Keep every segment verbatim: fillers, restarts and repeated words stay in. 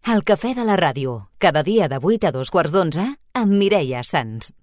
El cafè de la ràdio, cada dia de vuit a dos quarts d'onze, amb Mireia Sans.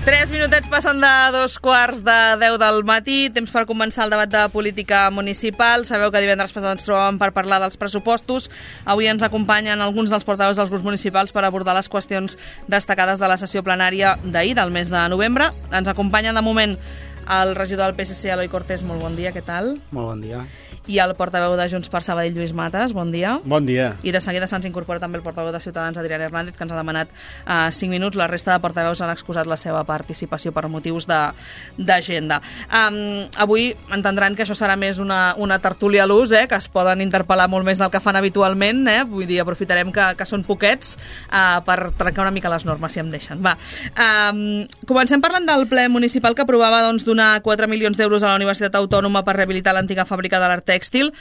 Tres minutets passen de dos quarts de deu del matí, temps per començar el debat de política municipal. Sabeu que divendres passat ens trobàvem per parlar dels pressupostos. Avui ens acompanyen alguns dels portaveus dels grups municipals per abordar les qüestions destacades de la sessió plenària d'ahir, del mes de novembre. Ens acompanya de moment el regidor del P S C, Eloi Cortés. Molt bon dia, què tal? Molt bon dia. I el portaveu de Junts per Sabadell, Lluís Matas. Bon dia. Bon dia. I de seguida se'ns incorpora també el portaveu de Ciutadans, Adrià Hernández, que ens ha demanat uh, cinc minuts. La resta de portaveus han excusat la seva participació per motius d'agenda. Um, avui entendran que això serà més una, una tertúlia a l'ús, eh, que es poden interpel·lar molt més del que fan habitualment. Eh? Vull dir, aprofitarem que, que són poquets uh, per trencar una mica les normes, si em deixen. Va. Um, comencem parlant del ple municipal que aprovava doncs, donar quatre milions d'euros a la Universitat Autònoma per rehabilitar l'antiga fàbrica de l'Art Tèxtil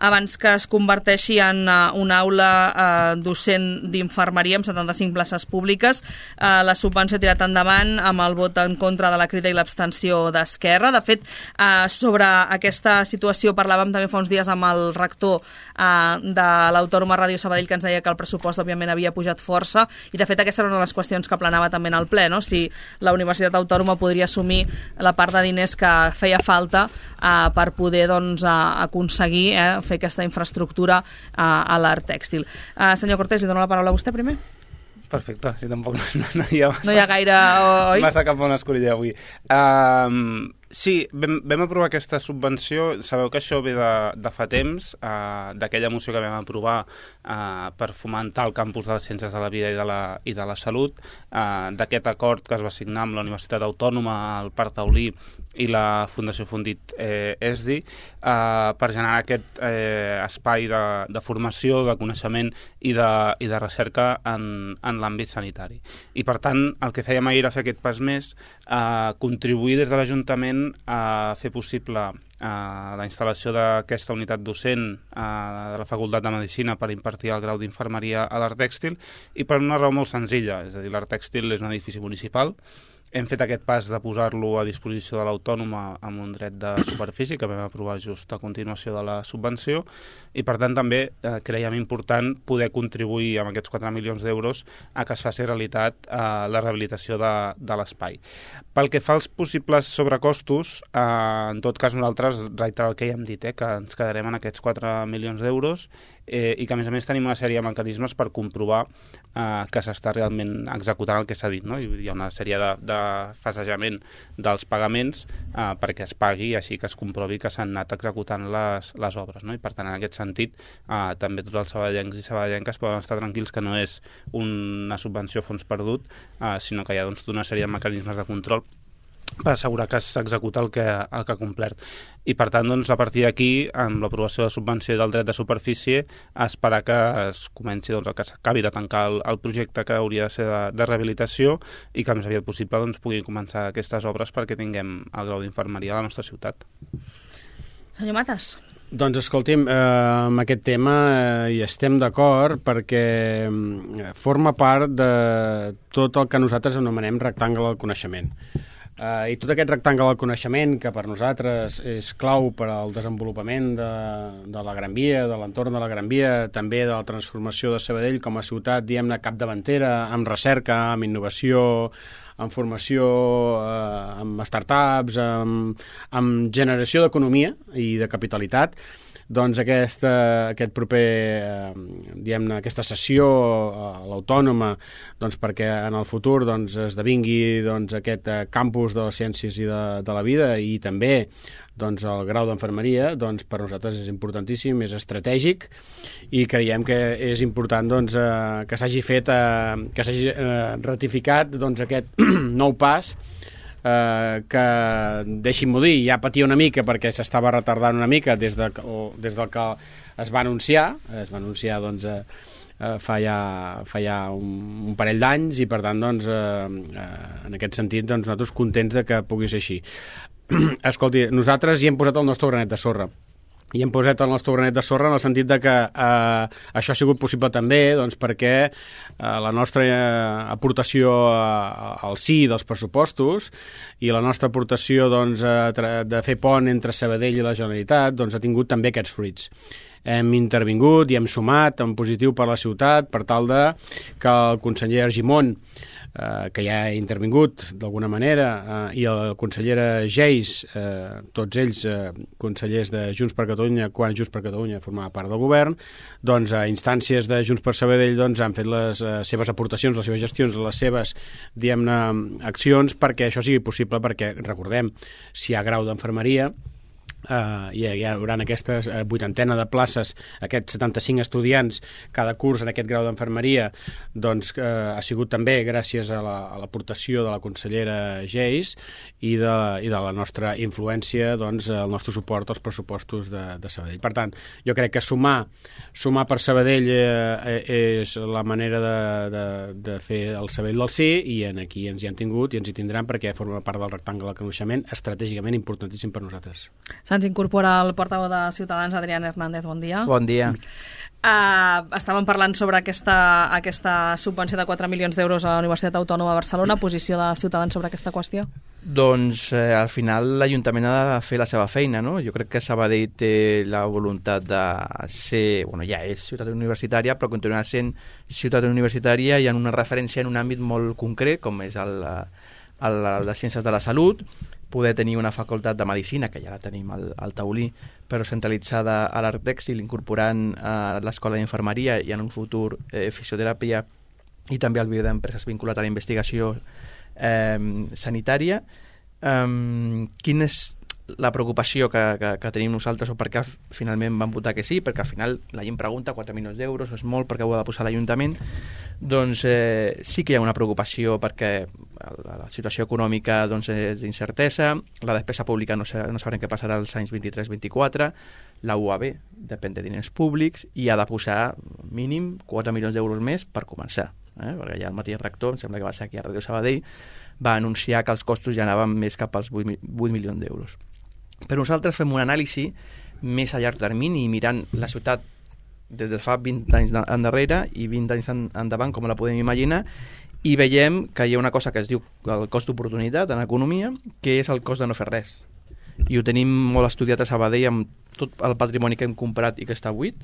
abans que es converteixi en uh, una aula uh, docent d'infermeria amb setanta-cinc places públiques. Uh, la subvenció ha tirat endavant amb el vot en contra de la crida i l'abstenció d'Esquerra. De fet, uh, sobre aquesta situació parlàvem també fa uns dies amb el rector uh, de l'Autònoma Ràdio Sabadell, que ens deia que el pressupost òbviament havia pujat força, i de fet aquesta era una de les qüestions que planava també en el ple, no? Si la Universitat Autònoma podria assumir la part de diners que feia falta uh, per poder doncs, uh, aconseguir eh, fer aquesta infraestructura uh, a l'Art Tèxtil. Uh, senyor Cortés, li dono la paraula a vostè primer. Perfecte, si tampoc no, no, no hi ha massa, no hi ha gaire, oi? Massa cap on escollir avui. Um, sí, vam, vam aprovar aquesta subvenció. Sabeu que això ve de, de fa temps, uh, d'aquella moció que vam aprovar uh, per fomentar el campus de les ciències de la vida i de la, i de la salut, uh, d'aquest acord que es va signar amb la Universitat Autònoma, el Parc Taulí i la Fundació Fundit eh, E S D I, eh, per generar aquest eh, espai de, de formació, de coneixement i de, i de recerca en, en l'àmbit sanitari. I per tant, el que fèiem ahir era fer aquest pas més, eh, contribuir des de l'Ajuntament a fer possible eh, la instal·lació d'aquesta unitat docent eh, de la Facultat de Medicina per impartir el grau d'infermeria a l'Art Tèxtil, i per una raó molt senzilla, és a dir, l'Art Tèxtil és un edifici municipal. Hem fet aquest pas de posar-lo a disposició de l'Autònoma amb un dret de superfície que vam aprovar just a continuació de la subvenció, i per tant també eh, creiem important poder contribuir amb aquests quatre milions d'euros a que es faci realitat eh, la rehabilitació de, de l'espai. Pel que fa als possibles sobrecostos, eh, en tot cas nosaltres, reiterar el que ja hem dit, eh, que ens quedarem en aquests quatre milions d'euros, eh, i que a més a més tenim una sèrie de mecanismes per comprovar eh, que s'està realment executant el que s'ha dit, no? Hi ha una sèrie de, de fasejament dels pagaments eh, perquè es pagui, així que es comprovi que s'han anat executant les, les obres, no? I per tant, en aquest sentit, eh, també tots els sabadellencs i sabadellenques poden estar tranquils que no és una subvenció a fons perdut, eh, sinó que hi ha doncs, una sèrie de mecanismes de control per assegurar que s'executa el que, el que ha complert. I per tant, doncs, a partir d'aquí, amb l'aprovació de subvenció del dret de superfície, esperar que es comenci, doncs, que s'acabi de tancar el, el projecte que hauria de ser de, de rehabilitació, i que més aviat possible doncs, puguin començar aquestes obres perquè tinguem el grau d'infermeria a la nostra ciutat. Senyor Matas. Doncs escolti'm, eh, amb aquest tema eh, hi estem d'acord perquè eh, forma part de tot el que nosaltres anomenem rectangle del coneixement. Uh, I tot aquest rectangle del coneixement, que per nosaltres és clau per al desenvolupament de, de la Gran Via, de l'entorn de la Gran Via, també de la transformació de Sabadell com a ciutat, diguem-ne, capdavantera, amb recerca, amb innovació, amb formació, uh, amb startups, amb, amb generació d'economia i de capitalitat. doncs aquesta, aquest proper, eh, diguem-ne, aquesta sessió a l'Autònoma, doncs perquè en el futur doncs, esdevingui doncs, aquest eh, campus de les ciències i de, de la vida, i també doncs, el grau d'enfermeria, doncs, per nosaltres és importantíssim, és estratègic, i creiem que és important doncs, eh, que s'hagi fet, eh, que s'hagi eh, ratificat doncs, aquest nou pas, eh, que, deixin-m'ho dir, ja patia una mica perquè s'estava retardant una mica des, de, o, des del que es va anunciar, es va anunciar doncs, eh, eh, fa ja, fa ja un, un parell d'anys, i per tant, doncs, eh, eh, en aquest sentit, doncs, nosaltres contents de que pugui ser així. Escolti, nosaltres hi hem posat el nostre granet de sorra. I hem posat el nostre granet de sorra en el sentit de que eh, això ha sigut possible també doncs, perquè eh, la nostra eh, aportació eh, al sí dels pressupostos i la nostra aportació doncs, eh, de fer pont entre Sabadell i la Generalitat doncs, ha tingut també aquests fruits. Hem intervingut i hem sumat en positiu per la ciutat per tal de que el conseller Argimon, eh, que ja ha intervingut d'alguna manera, eh, i la consellera Geis, eh, tots ells eh, consellers de Junts per Catalunya, quan Junts per Catalunya formava part del govern, doncs a instàncies de Junts per Sabadell doncs, han fet les eh, seves aportacions, les seves gestions, les seves, diguem-ne, accions perquè això sigui possible, perquè, recordem, si hi ha grau d'enfermeria, Uh, hi, hi haurà aquestes uh, vuitantena de places, aquests setanta-cinc estudiants cada curs en aquest grau d'enfermeria, doncs uh, ha sigut també gràcies a l'aportació la, de la consellera Geis i de, i de la nostra influència, doncs, el nostre suport als pressupostos de, de Sabadell. Per tant, jo crec que sumar, sumar per Sabadell eh, és la manera de, de, de fer el Sabadell del sí, i en aquí ens hi han tingut i ens hi tindran perquè forma part del rectangle del coneixement, estratègicament importantíssim per nosaltres. Se'ns incorpora el portaveu de Ciutadans, Adrián Hernández, bon dia. Bon dia. Uh, estàvem parlant sobre aquesta, aquesta subvenció de quatre milions d'euros a la Universitat Autònoma de Barcelona. Posició de Ciutadans sobre aquesta qüestió? Doncs eh, al final l'Ajuntament ha de fer la seva feina, no? Jo crec que Sabadell té la voluntat de ser, bueno, ja és ciutat universitària, però continuarà sent ciutat universitària i en una referència en un àmbit molt concret, com és el, el, el de Ciències de la Salut, poder tenir una facultat de Medicina, que ja la tenim al, al Taulí, però centralitzada a l'Arc Tèxtil, incorporant eh, l'Escola d'Infermeria i en un futur eh, fisioteràpia, i també el Biblioteca d'Empreses vinculat a la investigació eh, sanitària. Um, quina és la preocupació que, que, que tenim nosaltres, o per què finalment vam votar que sí? Perquè al final la gent pregunta quatre milions d'euros, és molt, perquè ho ha de posar l'Ajuntament. Doncs eh, sí que hi ha una preocupació perquè la, la situació econòmica doncs, és d'incertesa, la despesa pública no, no sabrem què passarà als anys vint-i-tres vint-i-quatre, la U A B depèn de diners públics i ha de posar mínim quatre milions d'euros més per començar. Eh? Perquè ja el mateix rector, em sembla que va ser aquí a Ràdio Sabadell, va anunciar que els costos ja anaven més cap als vuit milions d'euros. Però nosaltres fem un anàlisi més a llarg termini, mirant la ciutat des de fa vint anys endarrere i vint anys endavant, com la podem imaginar, i veiem que hi ha una cosa que es diu el cost d'oportunitat en economia, que és el cost de no fer res. I ho tenim molt estudiat a Sabadell amb tot el patrimoni que hem comprat i que està buit.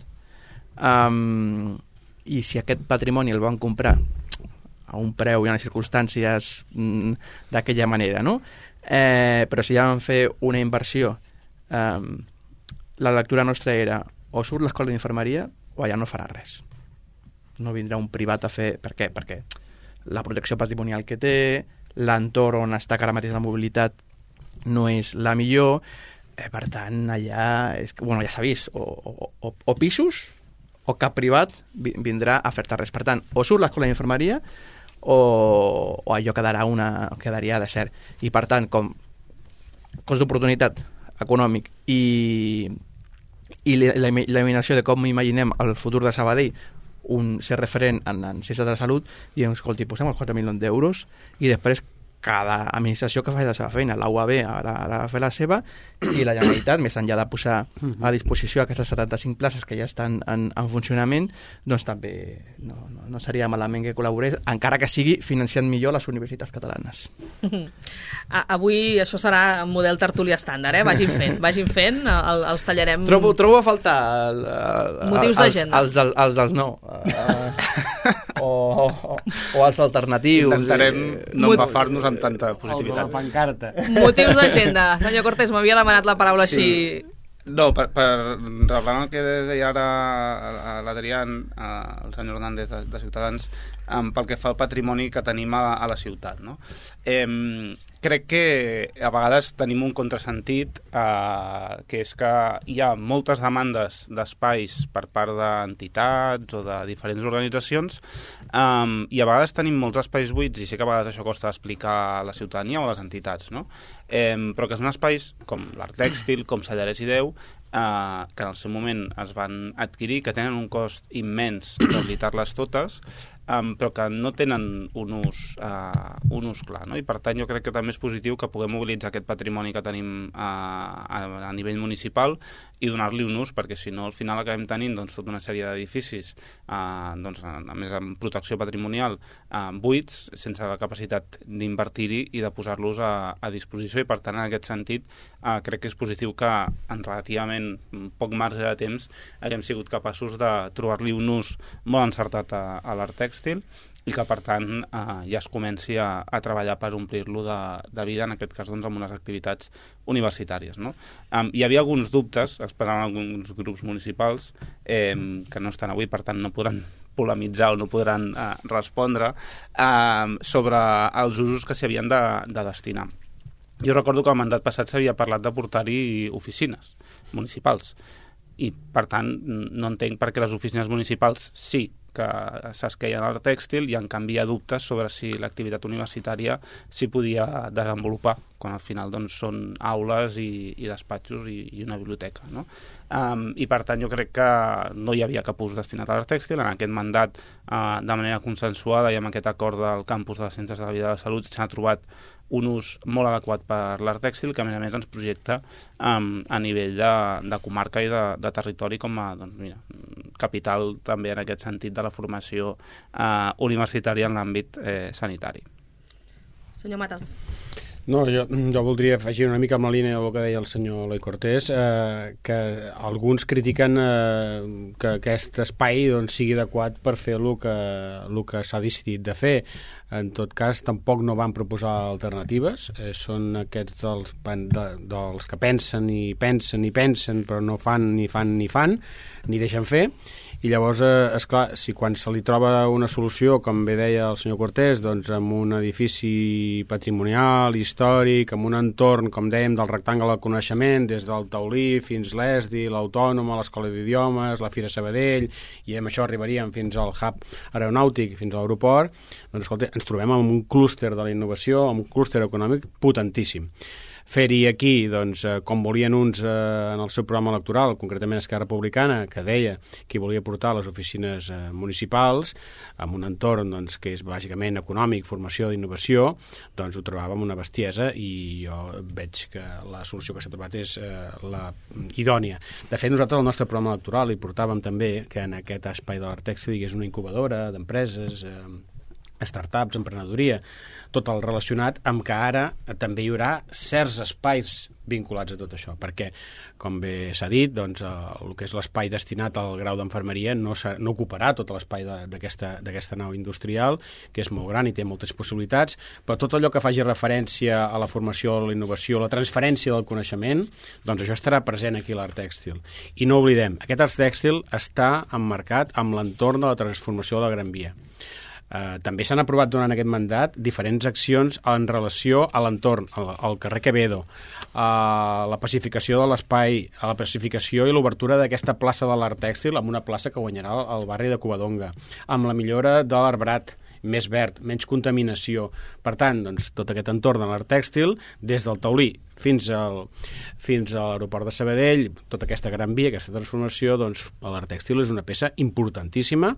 Um, I si aquest patrimoni el van comprar a un preu i en les circumstàncies mm, d'aquella manera, no? Eh, però si ja van fer una inversió, eh, la lectura nostra era o surt l'escola d'infermeria o allà no farà res. No vindrà un privat a fer... Per què? Perquè la protecció patrimonial que té, l'entorn on està que ara mateix la mobilitat no és la millor, eh, per tant, allà és, bueno, ja s'ha vist, o, o, o, o pisos o cap privat vindrà a fer-te res. Per tant, o surt l'escola d'infermeria o, o allò quedarà, una, quedaria de cert. I per tant, com cost d'oportunitat econòmic i, i l'eliminació de com imaginem el futur de Sabadell, un ser referent en, en ciències de la salut, i escolti, posem els quatre milions d'euros i després cada administració que fa la seva feina. La U A B ara, ara fa la seva i la Generalitat, més enllà de posar a disposició aquestes setanta-cinc places que ja estan en, en funcionament, doncs també no, no, no seria malament que col·laborés, encara que sigui financiant millor les universitats catalanes. Avui això serà un model tertúlia estàndard, eh? Vagin fent, vagin fent, el, els tallarem... Trobo, trobo a faltar el, el, motius d'agenda. Els, els, els dels no. Uh, o, o, o els alternatius. Intentarem eh, no empafar-nos amb tanta positivitat. El de la pancarta. Motius d'agenda. Senyor Cortés, m'havia demanat la paraula sí. així No, per, per reblant el que deia ara l'Adrián, el senyor Hernández de, de Ciutadans, um, pel que fa al patrimoni que tenim a, a la ciutat, no? Eh, crec que a vegades tenim un contrasentit, eh, que és que hi ha moltes demandes d'espais per part d'entitats o de diferents organitzacions, um, i a vegades tenim molts espais buits, i sé que a vegades això costa d'explicar a la ciutadania o a les entitats, no? Eh, però que són espais com l'Art Tèxtil, com Sallarès i Déu, eh, que en el seu moment es van adquirir, que tenen un cost immens rehabilitar-les totes, Um, però que no tenen un ús, uh, un ús clar, no? I per tant jo crec que també és positiu que puguem mobilitzar aquest patrimoni que tenim uh, a, a nivell municipal i donar-li un ús, perquè si no al final acabem tenint doncs, tota una sèrie d'edificis, uh, doncs, a, a més amb protecció patrimonial, uh, buits, sense la capacitat d'invertir-hi i de posar-los a, a disposició, i per tant en aquest sentit uh, crec que és positiu que en relativament poc marge de temps haguem sigut capaços de trobar-li un ús molt encertat a, a l'art tèxtil, i que per tant eh, ja es comenci a, a treballar per omplir-lo de, de vida, en aquest cas doncs, amb unes activitats universitàries, no? Um, hi havia alguns dubtes, esperaven alguns grups municipals eh, que no estan avui, per tant no podran polemitzar o no podran eh, respondre eh, sobre els usos que s'hi havien de, de destinar. Jo recordo que al mandat passat s'havia parlat de portar-hi oficines municipals, i per tant no entenc per què les oficines municipals sí que s'esqueien al tèxtil, i en canvi hi ha dubtes sobre si l'activitat universitària s'hi podia desenvolupar, quan al final doncs, són aules i, i despatxos i, i una biblioteca, no? Um, I per tant jo crec que no hi havia cap ús destinat a l'art tèxtil. En aquest mandat, uh, de manera consensuada i amb aquest acord del campus de les Ciències de la Vida i de la Salut, s'ha trobat un ús molt adequat per l'art tèxtil, que a més a més ens projecta um, a nivell de, de comarca i de, de territori com a doncs, mira, capital també en aquest sentit de la formació uh, universitària en l'àmbit eh, sanitari. Senyor Matas. No, jo, jo voldria afegir una mica amb la línia del que deia el senyor Eloi Cortés, eh, que alguns critiquen eh, que aquest espai doncs, sigui adequat per fer el que, el que s'ha decidit de fer. En tot cas, tampoc no van proposar alternatives, eh, són aquests dels, de, dels que pensen i pensen i pensen, però no fan ni fan ni fan, ni deixen fer. I llavors, eh, esclar, si quan se li troba una solució, com bé deia el senyor Cortés, doncs amb un edifici patrimonial, històric, amb un entorn, com dèiem, del rectangle del coneixement, des del Taulí fins l'Esdi, l'Autònoma, l'Escola d'Idiomes, la Fira Sabadell, i amb això arribaríem fins al hub aeronàutic, fins a l'aeroport, doncs escolta, ens trobem amb un clúster de la innovació, amb un clúster econòmic potentíssim. Fer-hi aquí, doncs, com volien uns eh, en el seu programa electoral, concretament Esquerra Republicana, que deia que volia portar les oficines eh, municipals amb un entorn doncs, que és bàsicament econòmic, formació d'innovació, doncs ho trobàvem una bestiesa, i jo veig que la solució que s'ha trobat és eh, la idònia. De fet, nosaltres al nostre programa electoral hi portàvem també que en aquest espai de l'art tèxtil hi hagués una incubadora d'empreses, eh, startups, emprenedoria, tot el relacionat amb que ara també hi haurà certs espais vinculats a tot això, perquè, com bé s'ha dit, doncs, el que és l'espai destinat al grau d'enfermeria no, no ocuparà tot l'espai d'aquesta nau industrial, que és molt gran i té moltes possibilitats, però tot allò que faci referència a la formació, a la innovació, a la transferència del coneixement, doncs això estarà present aquí a l'art tèxtil. I no oblidem, aquest art tèxtil està emmarcat amb l'entorn de la transformació de la Gran Via. Uh, també s'han aprovat durant aquest mandat diferents accions en relació a l'entorn, al, al carrer Quevedo, a la pacificació de l'espai, a la pacificació i l'obertura d'aquesta plaça de l'art tèxtil amb una plaça que guanyarà al barri de Covadonga, amb la millora de l'arbrat, més verd, menys contaminació. Per tant, doncs, tot aquest entorn de l'art tèxtil, des del Taulí fins al, fins a l'aeroport de Sabadell, tota aquesta Gran Via, aquesta transformació, doncs l'art tèxtil és una peça importantíssima,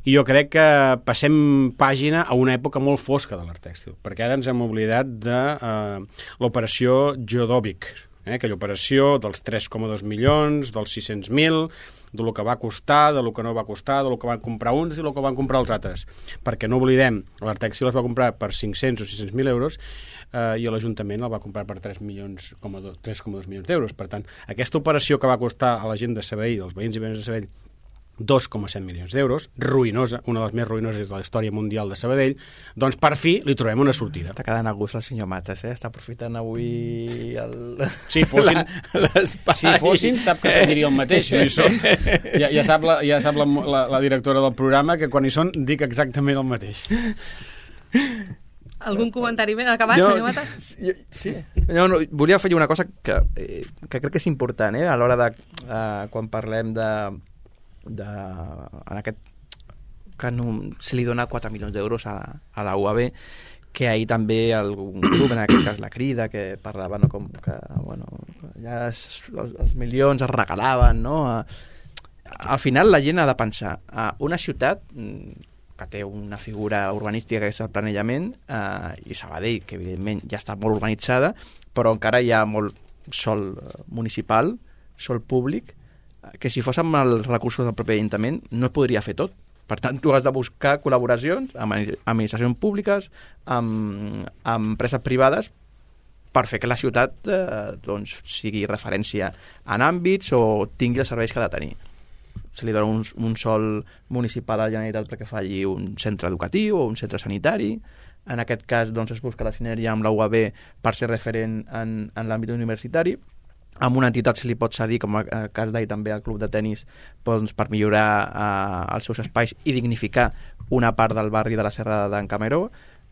i jo crec que passem pàgina a una època molt fosca de l'art tèxtil, perquè ara ens hem oblidat de eh, l'operació Jodovic, eh, aquella operació dels tres coma dos milions, dels sis-cents mil, de lo que va costar, de lo que no va costar, de lo que van comprar uns i de lo que van comprar els altres. Perquè no oblidem, l'art tèxtil es va comprar per cinc-cents o sis-cents mil euros eh, i l'Ajuntament el va comprar per tres coma dos milions d'euros. Per tant, aquesta operació que va costar a la gent de Sabadell, dels veïns i veïnes de Sabadell, dos coma set milions d'euros, ruïnosa, una de les més ruïnoses de la història mundial de Sabadell, doncs per fi li trobem una sortida. Està quedant a gust el senyor Mates, eh? Està aprofitant avui el... Si fossin, si fossin sap que se'n diria el mateix, si no hi són. Ja, ja sap, la, ja sap la, la, la directora del programa que quan hi són dic exactament el mateix. Algun comentari ben acabat, jo, senyor Mates? Jo, sí. No, no, volia afegir una cosa que, eh, que crec que és important, eh? A l'hora de, eh, quan parlem de, de en aquest que no, se li dona quatre milions d'euros a, a la U A B, que ahir també algun grup, en aquest cas la Crida, que parlava no, com que bueno, ja es, els, els milions es regalaven, no? Al final la gent ha de pensar, a una ciutat que té una figura urbanística que és el planejament, eh, i Sabadell, que evidentment ja està molt urbanitzada, però encara hi ha molt sol municipal, sol públic, que si fos amb els recursos del propi Ajuntament no es podria fer tot. Per tant, tu has de buscar col·laboracions amb administracions públiques, amb, amb empreses privades, per fer que la ciutat eh, doncs, sigui referència en àmbits o tingui els serveis que ha de tenir. Se li dona un, un sol municipal a la Generalitat perquè faci un centre educatiu o un centre sanitari. En aquest cas doncs, es busca la sinergia amb la U A B per ser referent en, en l'àmbit universitari. Amb una entitat se li pot cedir, com el cas d'ahir també al club de tennis, doncs, per millorar eh, els seus espais i dignificar una part del barri de la Serra d'en Cameró,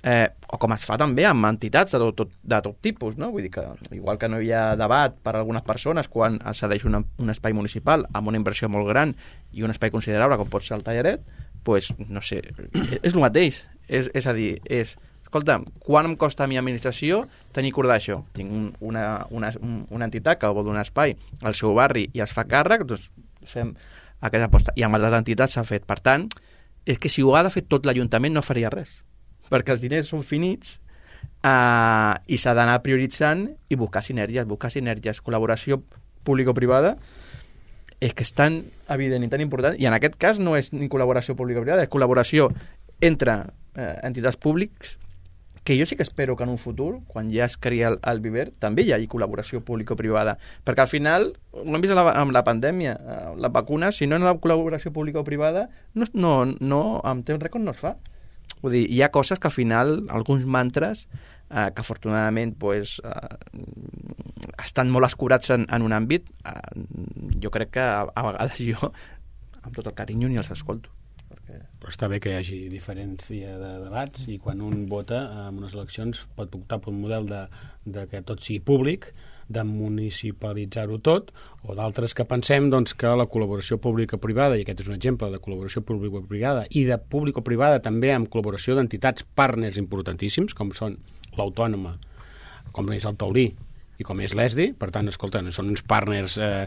eh, o com es fa també amb entitats de tot, tot, de tot tipus, no? Vull dir que igual que no hi ha debat per a algunes persones quan es cedeix una, un espai municipal amb una inversió molt gran i un espai considerable com pot ser el Tallaret, doncs, no sé, és, és el mateix. És, és a dir, és... Escolta, quan em costa a mi administració tenir cura d'això? Tinc un, una, una, una entitat que vol donar espai al seu barri i es fa càrrec, doncs fem aquesta aposta. I amb altres entitats s'ha fet. Per tant, és que si ho ha de fer tot l'Ajuntament no faria res, perquè els diners són finits eh, i s'ha d'anar prioritzant i buscar sinergies, buscar sinergies, col·laboració público-privada, és que és tan evident i tan important, i en aquest cas no és ni col·laboració público-privada, és col·laboració entre eh, entitats públics, que jo sí que espero que en un futur, quan ja es crea el, el Viver, també hi hagi col·laboració público-privada, perquè al final, ho hem vist amb la pandèmia, la vacuna, si no hi ha col·laboració público-privada, no, no, no, amb temps rècord no es fa. Vull dir, hi ha coses que al final, alguns mantres, eh, que afortunadament pues, eh, estan molt escurats en, en un àmbit, eh, jo crec que a, a vegades jo, amb tot el carinyo, ni els escolto. Però està bé que hi hagi diferència de debats i quan un vota en unes eleccions pot optar per un model de, de que tot sigui públic, de municipalitzar-ho tot, o d'altres que pensem doncs, que la col·laboració pública-privada, i aquest és un exemple de col·laboració pública-privada, i de público-privada també amb col·laboració d'entitats partners importantíssims, com són l'Autònoma, com és el Taulí, i com és l'E S D I, per tant, escolta, són uns partners eh,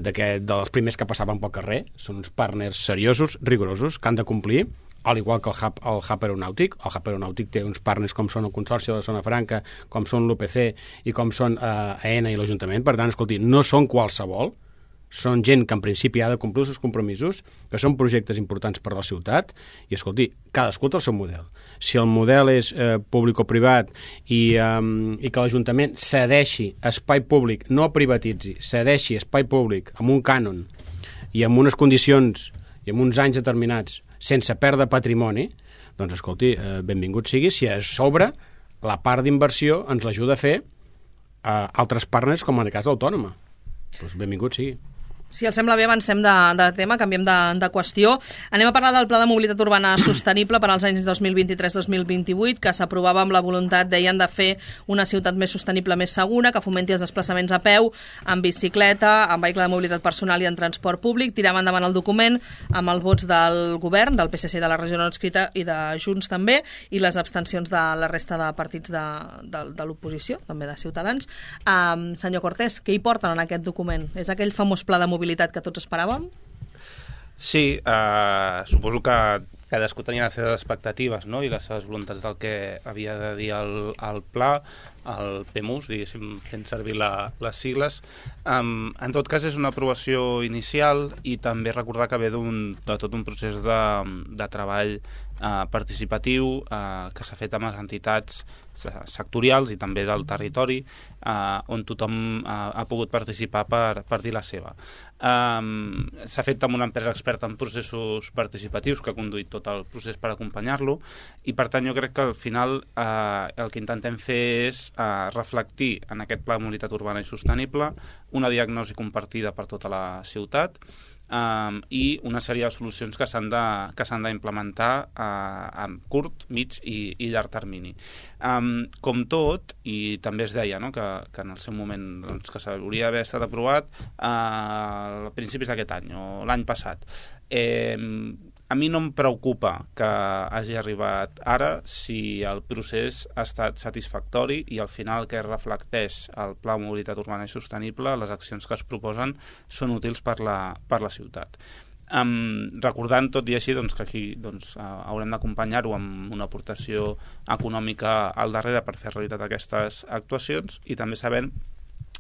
de que, dels primers que passaven pel carrer, són uns partners seriosos, rigorosos, que han de complir, al igual que el hub, el hub aeronàutic. El hub aeronàutic té uns partners com són el Consorci de la Zona Franca, com són l'U P C i com són eh, AENA i l'Ajuntament. Per tant, escolti, no són qualsevol, són gent que en principi ha de complir els seus compromisos, que són projectes importants per a la ciutat, i escolti, cadascú té el seu model. Si el model és eh, público-privat i, eh, i que l'Ajuntament cedeixi espai públic, no privatitzi, cedeixi espai públic amb un cànon i amb unes condicions i amb uns anys determinats sense perdre patrimoni, doncs escolti, eh, benvingut sigui si a sobre la part d'inversió ens l'ajuda a fer eh, altres partners com en el cas l'Autònoma. Doncs benvingut sigui. Si els sembla bé, avancem de, de tema, canviem de, de qüestió. Anem a parlar del Pla de Mobilitat Urbana Sostenible per als anys dos mil vint-i-tres dos mil vint-i-vuit, que s'aprovava amb la voluntat, deien, de fer una ciutat més sostenible, més segura, que fomenti els desplaçaments a peu, en bicicleta, en vehicle de mobilitat personal i en transport públic. Tiràvem endavant el document amb els vots del govern, del P S C de la regió no escrita i de Junts també, i les abstencions de la resta de partits de, de, de l'oposició, també de Ciutadans. Um, senyor Cortés, què hi porten en aquest document? És aquell famós pla de mobilitat que tots esperàvem? Sí, eh, suposo que cadascú tenia les seves expectatives, no?, i les seves voluntats del que havia de dir el, el pla, el P M U S, diguéssim, fent servir la, les sigles. Um, en tot cas, és una aprovació inicial i també recordar que ve d'un, de tot un procés de, de treball eh, participatiu eh, que s'ha fet amb les entitats sectorials i també del territori, eh, on tothom eh, ha pogut participar per, per dir la seva. Um, s'ha fet amb una empresa experta en processos participatius que ha conduït tot el procés per acompanyar-lo, i per tant jo crec que al final eh, el que intentem fer és eh, reflectir en aquest pla de mobilitat urbana i sostenible una diagnosi compartida per tota la ciutat, Um, i una sèrie de solucions que s'han de, que s'han d'implementar uh, a curt, mig i, i llarg termini. Um, com tot, i també es deia, no?, que, que en el seu moment doncs, que s'hauria d'haver estat aprovat uh, a principis d'aquest any o l'any passat. Eh, a mi no em preocupa que hagi arribat ara si el procés ha estat satisfactori i al final que reflecteix el Pla de Mobilitat Urbana i Sostenible, les accions que es proposen són útils per la, per la ciutat. Um, recordant tot i així doncs, que aquí doncs, uh, haurem d'acompanyar-ho amb una aportació econòmica al darrere per fer realitat aquestes actuacions, i també sabent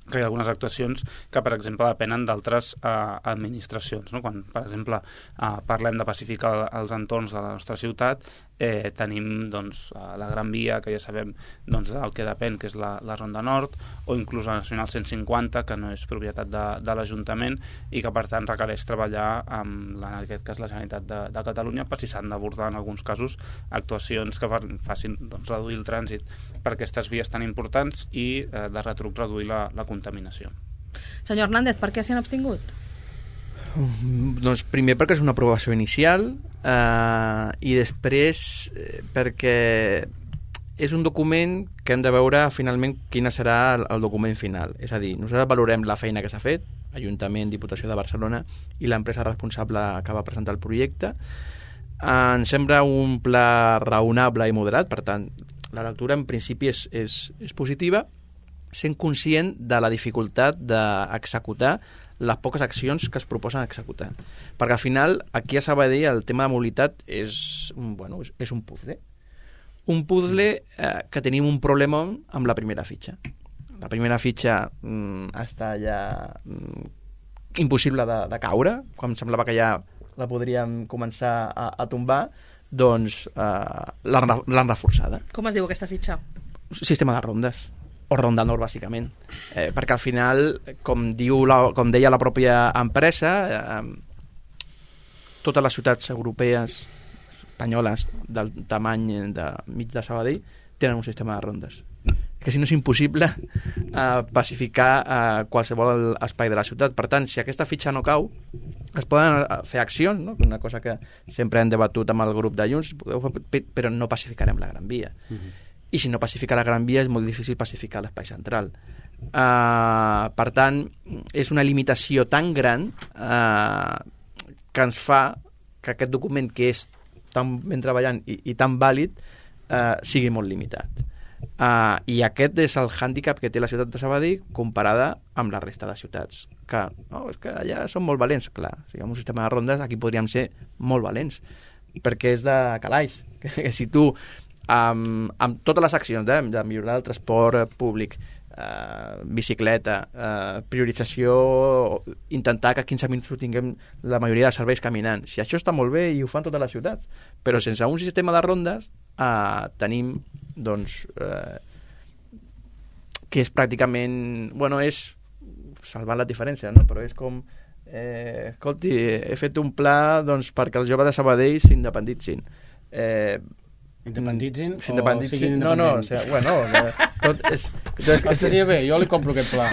que hi ha algunes actuacions que, per exemple, depenen d'altres eh, administracions, no? Quan, per exemple, eh, parlem de pacificar els entorns de la nostra ciutat, eh, tenim doncs, la Gran Via, que ja sabem doncs, el que depèn, que és la, la Ronda Nord, o inclús la Nacional cent cinquanta, que no és propietat de, de l'Ajuntament i que, per tant, requereix treballar amb, la, en aquest cas, la Generalitat de, de Catalunya, per si s'han d'abordar, en alguns casos, actuacions que facin doncs, reduir el trànsit per aquestes vies tan importants i, eh, de retruc, reduir la, la contaminació. Senyor Hernández, per què s'hi han abstingut? Um, doncs primer perquè és una aprovació inicial eh, i després eh, perquè és un document que hem de veure finalment quin serà el, el document final. És a dir, nosaltres valorem la feina que s'ha fet, Ajuntament, Diputació de Barcelona i l'empresa responsable que va presentar el projecte. Ens sembla un pla raonable i moderat, per tant, la lectura en principi és, és, és positiva, sent conscient de la dificultat d'executar les poques accions que es proposen executar. Perquè al final, aquí a Sabadell, el tema de mobilitat és, bueno, és, és un puzzle. Un puzzle eh, que tenim un problema amb la primera fitxa. La primera fitxa mm, està ja mm, impossible de, de caure, quan em semblava que ja la podríem començar a, a tombar, doncs eh, l'han reforçada. Com es diu aquesta fitxa? Sistema de rondes, o ronda nord, bàsicament. Eh, perquè al final, com, diu la, com deia la pròpia empresa, eh, totes les ciutats europees, espanyoles, del tamany de mig de Sabadell, tenen un sistema de rondes. Que si no és impossible eh, pacificar eh, qualsevol espai de la ciutat. Per tant, si aquesta fitxa no cau, es poden fer accions, no? Una cosa que sempre hem debatut amb el grup de Junts, però no pacificarem la Gran Via. Uh-huh. I si no pacifica la Gran Via és molt difícil pacificar l'espai central. Uh, per tant, és una limitació tan gran uh, que ens fa que aquest document, que és tan ben treballant i, i tan vàlid, uh, sigui molt limitat. Uh, I aquest és el hàndicap que té la ciutat de Sabadell comparada amb la resta de ciutats. Que, no, és que allà són molt valents. Clar, si hi ha un sistema de rondes, aquí podríem ser molt valents, perquè és de calaix. Que, que si tu, amb, amb totes les accions de, de millorar el transport públic, eh, bicicleta, eh, priorització, intentar que quinze minuts ho tinguem la majoria de serveis caminant, si això està molt bé i ho fan totes les ciutats, però sense un sistema de rondes eh, tenim doncs eh, que és pràcticament, bueno, és salvant la diferència, no? Però és com eh, escolti, he fet un pla doncs, perquè els joves de Sabadell s'independitzin. Eh, Independitzin o s'independitzin? siguin No, no, o independents? sigui, bueno, eh, tot és... és Estaria bé, jo li compro aquest pla.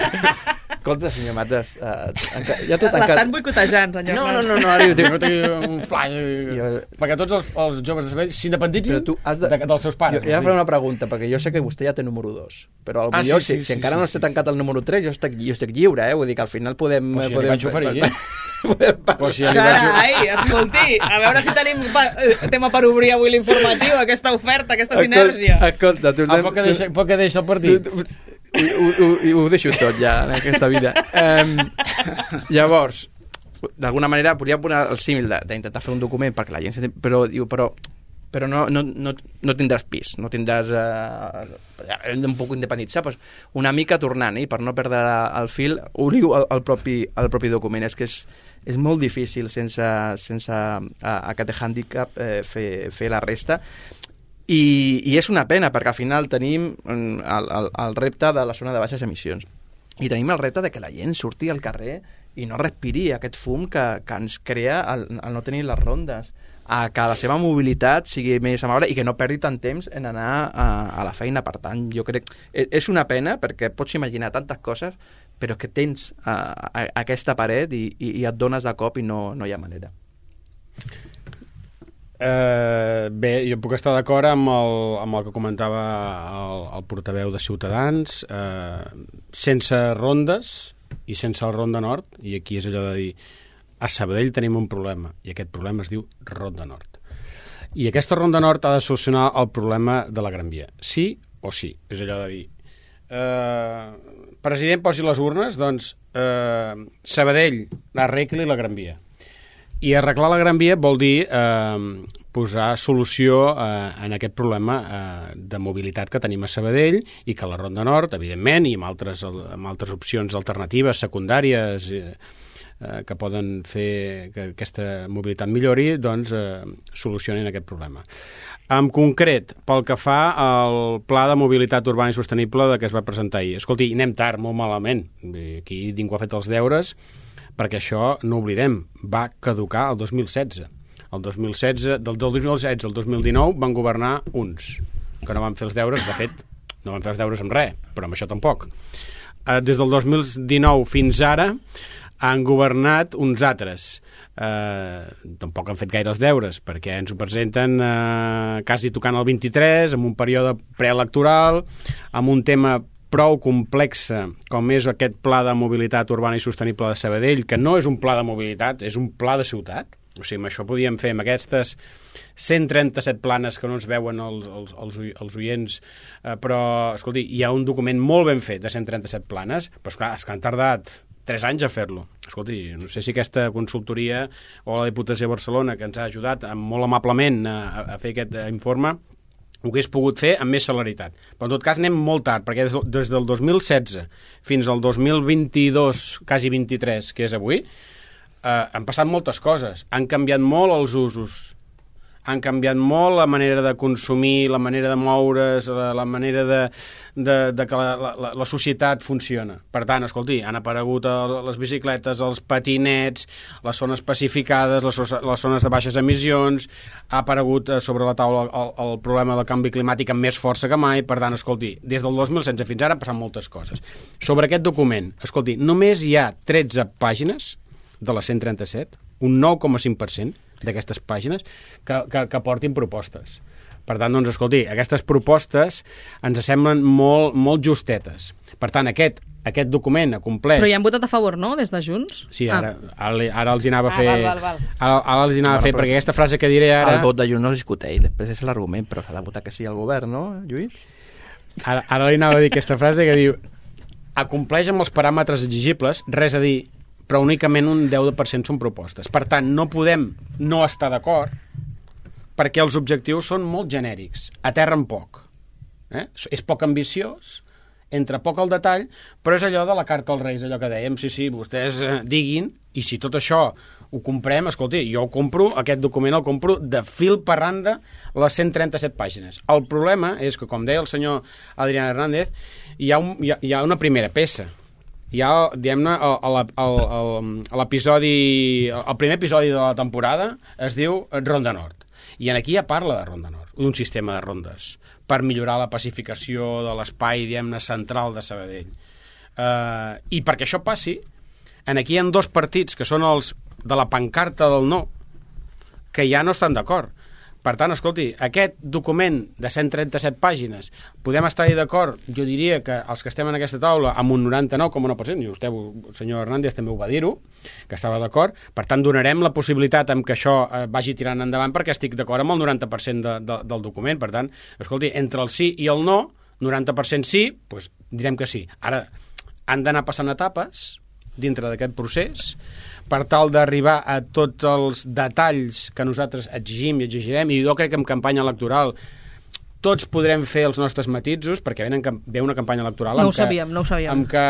Escolta, senyor Mates, eh, enca... ja tot L'estan encara... boicotejant, senyor. No, no, no, no, ara ho dic. Jo tinc un fly, Jo- perquè tots els, els joves de Sabadell s'independitzin Però tu has de... de, dels seus pares. Jo, jo faré una pregunta, perquè jo sé que vostè ja té número dos, però Ah, potser sí, sí, si, sí, si encara sí, no sí, està sí. tancat el número tres, jo estic, jo estic lliure, eh? Vull dir que al final podem... Però si ja li podem vaig oferir, eh? podem parlar. Però si ja li vaig... Carai, escolti, a veure si tenim pa tema per obrir avui l'informatiu, aquesta oferta, aquesta sinergia. Escolta, tu... Ah, poc que deixa, poc que deixa el partit. Tu, tu, ho, ho, ho deixo tot ja en aquesta vida. Um, llavors, d'alguna manera podria posar el símil d'intentar fer un document perquè la gent s'entén, però diu, però però no, no, no, no tindràs pis, no tindràs eh, hem d'un poc independitzar, doncs una mica tornant, eh, per no perdre el fil, ho diu el, el, propi, el propi document, és que és, és molt difícil sense, sense a, aquest hàndicap eh, fer, fer la resta. I, I és una pena, perquè al final tenim el, el, el repte de la zona de baixes emissions. I tenim el repte de que la gent surti al carrer i no respiri aquest fum que, que ens crea el, el no tenir les rondes, a que la seva mobilitat sigui més amable i que no perdi tant temps en anar a, a la feina. Per tant, jo crec que és una pena, perquè pots imaginar tantes coses, però que tens a, a, aquesta paret i, i, i et dones de cop i no, no hi ha manera. Uh, bé, jo puc estar d'acord amb, el, amb el que comentava el, el portaveu de Ciutadans. Uh, sense rondes i sense el Ronda Nord, i aquí és allò de dir, a Sabadell tenim un problema, i aquest problema es diu Ronda Nord. I aquesta Ronda Nord ha de solucionar el problema de la Gran Via. Sí o sí. És allò de dir, eh, president, posi les urnes, doncs eh, Sabadell arregli la Gran Via. I arreglar la Gran Via vol dir eh, posar solució eh, en aquest problema eh, de mobilitat que tenim a Sabadell, i que la Ronda Nord, evidentment, i amb altres, amb altres opcions alternatives, secundàries, eh, eh, que poden fer que aquesta mobilitat millori, doncs eh, solucionin aquest problema. En concret, pel que fa al Pla de Mobilitat Urbana i Sostenible de que es va presentar ahir. Escolti, anem tard, molt malament. Aquí ningú ha fet els deures, perquè això, no oblidem, va caducar el dos mil setze. El dos mil setze, del dos mil setze al dos mil dinou van governar uns, que no van fer els deures, de fet, no van fer els deures amb res, però amb això tampoc. Eh, des del dos mil dinou fins ara han governat uns altres. Eh, tampoc han fet gaire els deures, perquè ens ho presenten eh, quasi tocant el vint-i-tres, amb un període preelectoral, amb un tema prou complexa com és aquest Pla de Mobilitat Urbana i Sostenible de Sabadell, que no és un pla de mobilitat, és un pla de ciutat. O sigui, amb això podíem fer amb aquestes cent trenta-set planes que no ens veuen els, els, els, els oients, eh, però, escolti, hi ha un document molt ben fet de cent trenta-set planes, però esclar, és que han tardat tres anys a fer-lo. Escolti, no sé si aquesta consultoria o la Diputació de Barcelona, que ens ha ajudat molt amablement a, a fer aquest informe, ho hagués pogut fer amb més celeritat. Però en tot cas anem molt tard, perquè des, des del dos mil setze fins al dos mil vint-i-dos, quasi vint-i-tres, que és avui, eh, han passat moltes coses. Han canviat molt els usos, han canviat molt la manera de consumir, la manera de moure's, la, la manera de, de, de que la, la, la societat funciona. Per tant, escolti, han aparegut les bicicletes, els patinets, les zones pacificades, les, les zones de baixes emissions, ha aparegut sobre la taula el, el problema del canvi climàtic amb més força que mai. Per tant, escolti, des del dos mil setze fins ara han passat moltes coses. Sobre aquest document, escolti, només hi ha tretze pàgines de les cent trenta-set, un nou coma cinc per cent d'aquestes pàgines que, que, que portin propostes. Per tant, doncs, escolti, aquestes propostes ens semblen molt, molt justetes. Per tant, aquest, aquest document ha complert... Però hi han votat a favor, no?, des de Junts? Sí, ara, ah. ara, ara els hi anava a fer... Ah, val, val, val. Ara, ara els hi anava a fer, perquè aquesta frase que diré ara... El vot de Junts no es discuteix, després és l'argument, però s'ha de votar que sí al govern, no, Lluís? Ara, ara li anava a dir aquesta frase que diu acompleix amb els paràmetres exigibles, res a dir, però únicament un deu per cent són propostes. Per tant, no podem no estar d'acord perquè els objectius són molt genèrics, aterren poc. Eh? És poc ambiciós, entra poc al detall, però és allò de la carta als Reis, allò que dèiem, sí, sí, vostès eh, diguin, i si tot això ho comprem, escolti, jo ho compro, aquest document el compro de fil per randa les cent trenta-set pàgines. El problema és que, com deia el senyor Adrián Hernández, hi ha, un, hi ha, hi ha una primera peça. Hi ha, diguem-ne, l'episodi, el primer episodi de la temporada es diu Ronda Nord. I aquí ja parla de Ronda Nord, d'un sistema de rondes, per millorar la pacificació de l'espai, diguem-ne, central de Sabadell. Uh, I perquè això passi, en aquí hi ha dos partits, que són els de la pancarta del no, que ja no estan d'acord. Per tant, escolti, aquest document de cent trenta-set pàgines, podem estar-hi d'acord, jo diria que els que estem en aquesta taula, amb un noranta-nou coma nou per cent, i vostè, el senyor Hernández, també ho va dir-ho, que estava d'acord, per tant, donarem la possibilitat amb que això eh, vagi tirant endavant, perquè estic d'acord amb el noranta per cent de, de, del document. Per tant, escolti, entre el sí i el no, noranta per cent sí, doncs direm que sí. Ara, han d'anar passant etapes dintre d'aquest procés, per tal d'arribar a tots els detalls que nosaltres exigim i exigirem, i jo crec que en campanya electoral tots podrem fer els nostres matisos, perquè ve una campanya electoral no amb, ho sabíem, que, no ho sabíem. amb que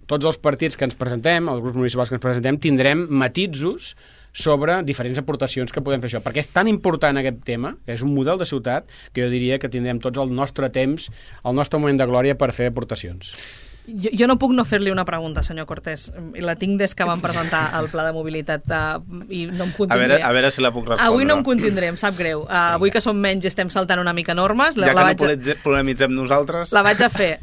tots els partits que ens presentem, els grups municipals que ens presentem, tindrem matisos sobre diferents aportacions que podem fer això. Perquè és tan important aquest tema, que és un model de ciutat, que jo diria que tindrem tots el nostre temps, el nostre moment de glòria per fer aportacions. Jo, jo no puc no fer-li una pregunta, senyor Cortés, i la tinc des que vam presentar el pla de mobilitat uh, i no em contindré. A veure, a veure si la puc respondre. Avui no em contindré, em sap greu. Uh, avui que som menys i estem saltant una mica normes... Ja la, que la no polemitzem nosaltres... La vaig a fer.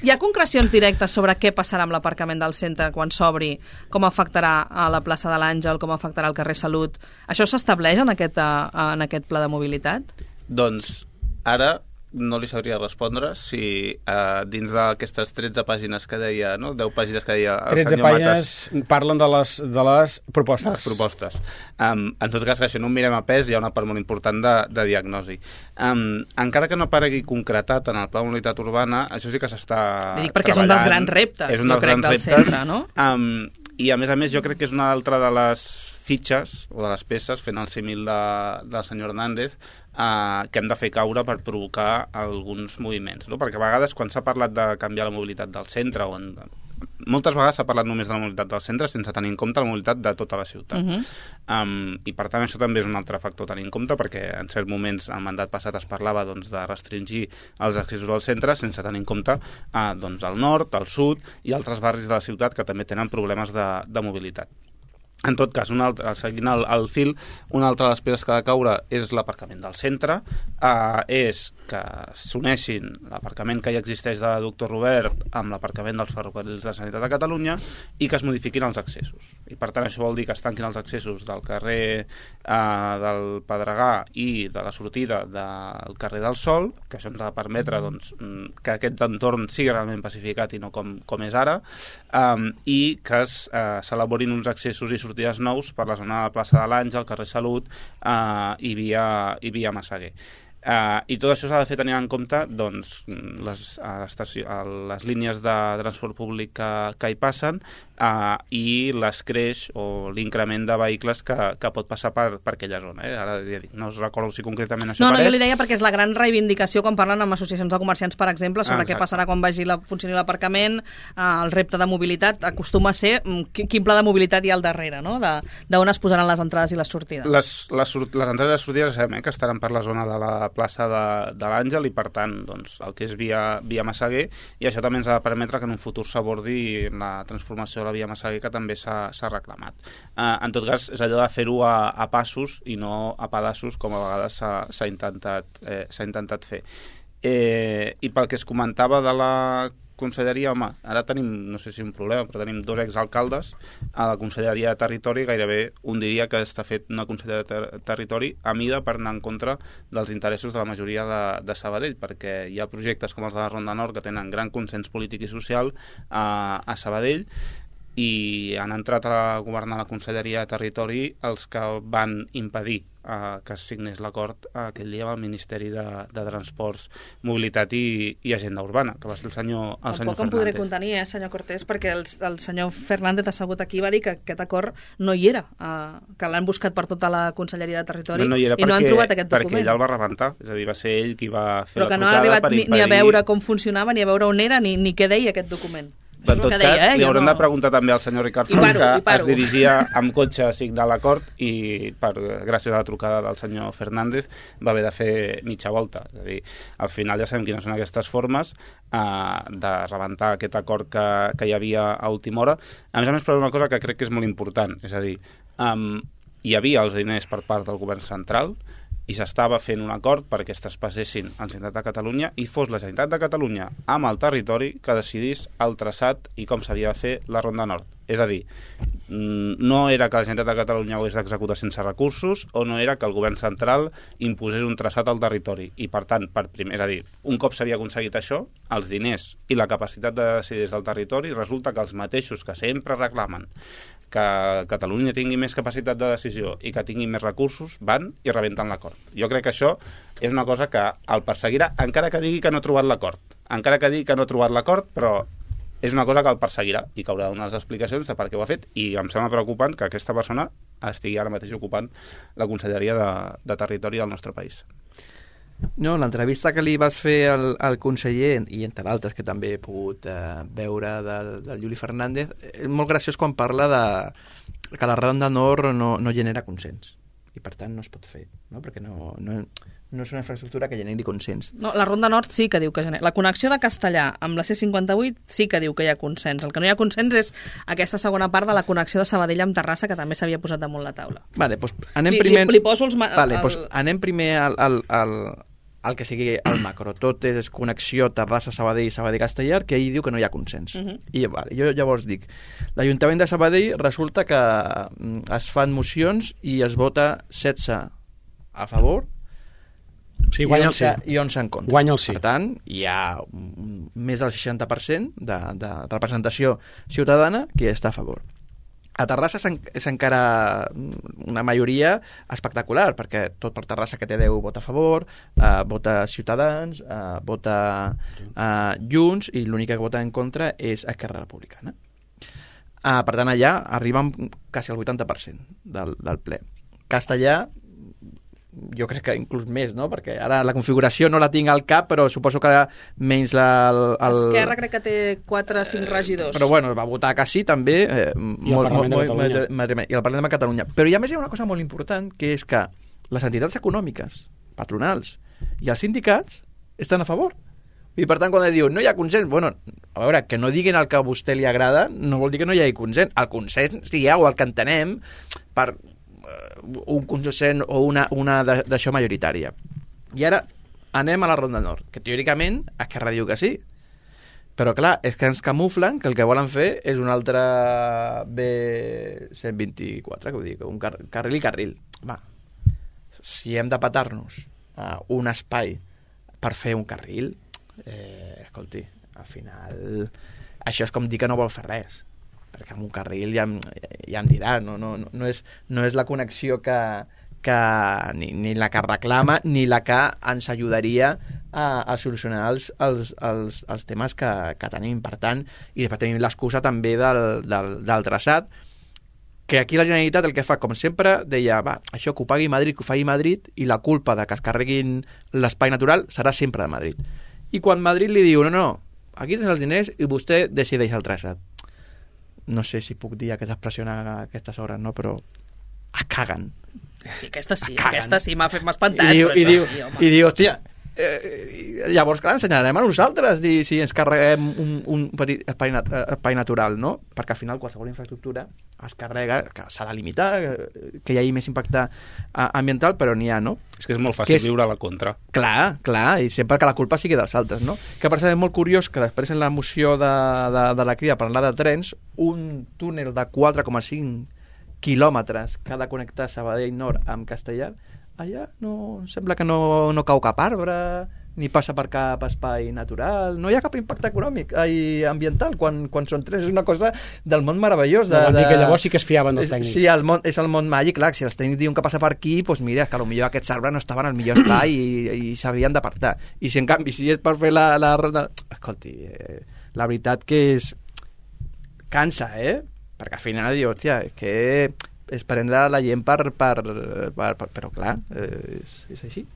Hi ha concrecions directes sobre què passarà amb l'aparcament del centre quan s'obri, com afectarà a la plaça de l'Àngel, com afectarà al carrer Salut. Això s'estableix en, aquest, uh, en aquest pla de mobilitat? Doncs ara no li sabria respondre si uh, dins d'aquestes tretze pàgines que deia, no? deu pàgines que deia el tretze senyor pàgines Matas, parlen de les, de les propostes. De les propostes. Um, en tot cas, que això no ho mirem a pes, hi ha una part molt important de, de diagnosi. Um, encara que no aparegui concretat en el pla de mobilitat urbana, això sí que s'està treballant. Perquè és un dels grans reptes, és un dels jo crec, grans del reptes, centre, no? Um, I a més a més jo crec que és una altra de les fitxes o de les peces, fent el símil de, del senyor Hernández, eh, que hem de fer caure per provocar alguns moviments, no? Perquè a vegades quan s'ha parlat de canviar la mobilitat del centre, o en, moltes vegades s'ha parlat només de la mobilitat del centre sense tenir en compte la mobilitat de tota la ciutat. Uh -huh. um, I per tant això també és un altre factor a tenir en compte, perquè en certs moments al mandat passat es parlava doncs, de restringir els accessos al centre sense tenir en compte eh, doncs, el nord, el sud i altres barris de la ciutat que també tenen problemes de, de mobilitat. En tot cas, un altre, seguint el, el fil, una altra de les peces que ha de caure és l'aparcament del centre, eh, és que s'uneixin l'aparcament que ja existeix de Doctor Robert amb l'aparcament dels ferrocarrils de Sanitat de Catalunya i que es modifiquin els accessos. I per tant això vol dir que es tanquin els accessos del carrer eh, del Pedregà i de la sortida del carrer del Sol, que això ens ha de permetre doncs, que aquest entorn sigui realment pacificat i no com, com és ara, eh, i que es, eh, s'elaborin uns accessos i sortides nous per la zona de plaça de l'Àngel, carrer Salut eh, i, via, i via Massaguer. Uh, I tot això s'ha de fer tenint en compte doncs, les, a les línies de transport públic que, que hi passen uh, i l'escreix o l'increment de vehicles que, que pot passar per, per aquella zona. Eh? Ara ja dic, no us recordo si concretament això no, apareix. No, jo li deia perquè és la gran reivindicació quan parlen amb associacions de comerciants, per exemple, sobre ah, què passarà quan vagi la, funcioni l'aparcament, uh, el repte de mobilitat acostuma a ser um, quin pla de mobilitat hi ha al darrere, no? D'on es posaran les entrades i les sortides. Les, les, les entrades i les sortides sabem eh, que estaran per la zona de la plaça de, de l'Àngel i per tant doncs, el que és via, via Massaguer, i això també ens ha de permetre que en un futur s'abordi la transformació de la via Massaguer, que també s'ha reclamat. Uh, en tot cas és allò de fer-ho a, a passos i no a pedaços com a vegades s'ha intentat, eh, s'ha intentat fer. Eh, i pel que es comentava de la conselleria, home, ara tenim, no sé si un problema, però tenim dos exalcaldes a la conselleria de Territori, gairebé un diria que està fet una conselleria de ter Territori a mida per anar en contra dels interessos de la majoria de, de Sabadell, perquè hi ha projectes com els de la Ronda Nord que tenen gran consens polític i social a, a Sabadell, i han entrat a governar la conselleria de Territori els que van impedir eh, que es signés l'acord aquell dia amb el Ministeri de, de Transports, Mobilitat i, i Agenda Urbana, que va ser el senyor, el senyor Tampoc em podré contenir, eh, senyor Cortés, perquè el, el senyor Fernández assegut aquí va dir que aquest acord no hi era, eh, que l'han buscat per tota la conselleria de Territori no, no hi era i perquè, no han trobat aquest document. Perquè ell el va rebentar, és a dir, va ser ell qui va fer Però la trucada per impedir... Però que no ha arribat ni, ni a veure com funcionava, ni a veure on era, ni, ni què deia aquest document. En tot cas, deia, eh? li haurem no... de preguntar també al senyor Ricard Font, que es dirigia amb cotxe a signar l'acord i, per, gràcies a la trucada del senyor Fernández, va haver de fer mitja volta. És a dir, al final ja sabem quines són aquestes formes eh, de rebentar aquest acord que, que hi havia a última hora. A més a més, per una cosa que crec que és molt important, és a dir, um, hi havia els diners per part del govern central, i s'estava fent un acord perquè es traspassessin a la Generalitat de Catalunya i fos la Generalitat de Catalunya amb el territori que decidís el traçat i com s'havia de fer la Ronda Nord. És a dir, no era que la Generalitat de Catalunya ho hagués d'executar sense recursos o no era que el govern central imposés un traçat al territori. I per tant, per primer, és a dir, un cop s'havia aconseguit això, els diners i la capacitat de decidir des del territori, resulta que els mateixos que sempre reclamen que Catalunya tingui més capacitat de decisió i que tingui més recursos, van i rebenten l'acord. Jo crec que això és una cosa que el perseguirà, encara que digui que no ha trobat l'acord. Encara que digui que no ha trobat l'acord, però és una cosa que el perseguirà i que haurà de donar les explicacions de per què ho ha fet, i em sembla preocupant que aquesta persona estigui ara mateix ocupant la conselleria de, de Territori del nostre país. No, l'entrevista que li vas fer al, al conseller, i entre d'altres que també he pogut eh, veure del, del Juli Fernández, és molt graciós quan parla de que la Ronda Nord no, no genera consens i per tant no es pot fer, no? Perquè no, no, no és una infraestructura que generi consens. No, la Ronda Nord sí que diu que genera. La connexió de Castellà amb la C cinquanta-vuit sí que diu que hi ha consens. El que no hi ha consens és aquesta segona part de la connexió de Sabadell amb Terrassa, que també s'havia posat damunt la taula. Vale, doncs anem li, primer... Li, li poso els... Vale, el... doncs anem primer al, al, al, al que sigui el macro. Tot és connexió Terrassa-Sabadell i Sabadell-Castellar, que ell diu que no hi ha consens. Uh -huh. I vale, jo llavors dic, l'Ajuntament de Sabadell resulta que es fan mocions i es vota setze a favor, sí, guanya el sí. i onze en contra. Guanya el sí. Per tant, hi ha un, més del seixanta per cent de, de representació ciutadana que està a favor. A Terrassa és encara una majoria espectacular, perquè tot per Terrassa que té deu vota a favor, eh, vota Ciutadans, eh, vota eh, Junts, i l'única que vota en contra és Esquerra Republicana. Eh, per tant, allà arriben quasi el vuitanta per cent del, del ple. Castellà, jo crec que inclús més, no? Perquè ara la configuració no la tinc al cap, però suposo que menys la... El, el... Esquerra crec que té quatre o cinc regidors. Però bueno, va votar que sí, també. Eh, I molt, el Parlament molt, de Catalunya. I el Parlament de Catalunya. Però hi ha més hi ha una cosa molt important, que és que les entitats econòmiques, patronals i els sindicats estan a favor. I per tant, quan diu no hi ha consens, bueno, a veure, que no diguin el que a vostè li agrada no vol dir que no hi hagi consens. El consens hi ha, o el que entenem, per un consens o una, una d'això majoritària. I ara anem a la Ronda Nord, que teòricament Esquerra diu que sí, però clar, és que ens camuflen que el que volen fer és un altre B cent vint-i-quatre, que ho dic, un car carril i carril. Va, si hem de petar-nos uh, un espai per fer un carril, eh, escolti, al final això és com dir que no vol fer res, perquè amb un carril ja, ja em dirà, no, no, no, és, no és la connexió que, que ni, ni la que reclama ni la que ens ajudaria a, a solucionar els, els, els, els temes que, que tenim. Per tant, i després tenim l'excusa també del, del, del traçat, que aquí la Generalitat el que fa, com sempre, deia, va, això que ho pagui Madrid, que ho faci Madrid, i la culpa de que es carreguin l'espai natural serà sempre de Madrid. I quan Madrid li diu, no, no, aquí tens els diners i vostè decideix el traçat. No sé si puc dir aquesta expressió a aquestes hores, no? Però es caguen. Sí, aquesta sí, aquesta sí, m'ha espantat. I diu, i diu, sí, i diu hòstia, eh, llavors, clar, ensenyarem a nosaltres dir, si ens carreguem un, un petit espai, nat espai natural, no? Perquè al final qualsevol infraestructura es carrega, que s'ha de limitar, que hi hagi més impacte ambiental, però n'hi ha, no? És que és molt fàcil és... viure a la contra. Clar, clar, i sempre que la culpa sigui dels altres, no? Que per cert és molt curiós que després en la moció de, de, de la Crida parlar de trens, un túnel de quatre coma cinc quilòmetres que ha de connectar Sabadell Nord amb Castellar, allà no, sembla que no, no cau cap arbre, ni passa per cap espai natural, no hi ha cap impacte econòmic i ambiental quan, quan són trens. És una cosa del món meravellós. De, de... de... que llavors sí que es fiaven els tècnics. Sí, el món, és el món màgic, clar, si els tècnics diuen que passa per aquí, doncs mira, que potser aquests arbres no estaven al millor espai i, i s'havien d'apartar. I si en canvi, si és per fer la... la... Escolti, eh, la veritat que és... cansa, eh? Perquè al final diu, hòstia, és que és prendre la gent per... per, per, per però clar, eh, és, és així.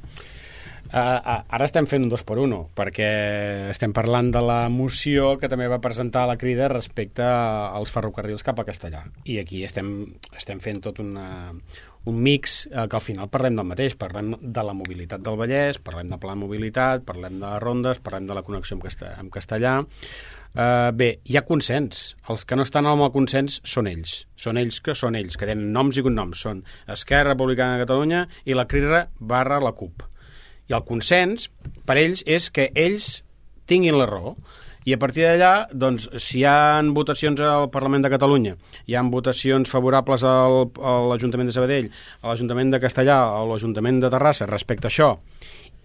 Uh, ara estem fent un dos per uno, perquè estem parlant de la moció que també va presentar la Crida respecte als ferrocarrils cap a Castellà. I aquí estem, estem fent tot una, un mix eh, que al final parlem del mateix. Parlem de la mobilitat del Vallès, parlem de pla de mobilitat, parlem de rondes, parlem de la connexió amb, Castell amb Castellà. Uh, bé, hi ha consens. Els que no estan amb el consens són ells. Són ells que són ells, que tenen noms i cognoms. Són Esquerra Republicana de Catalunya i la Crida barra la CUP. I el consens, per ells, és que ells tinguin la raó. I a partir d'allà, doncs, si hi ha votacions al Parlament de Catalunya, hi ha votacions favorables al, a l'Ajuntament de Sabadell, a l'Ajuntament de Castellà, a l'Ajuntament de Terrassa respecte a això,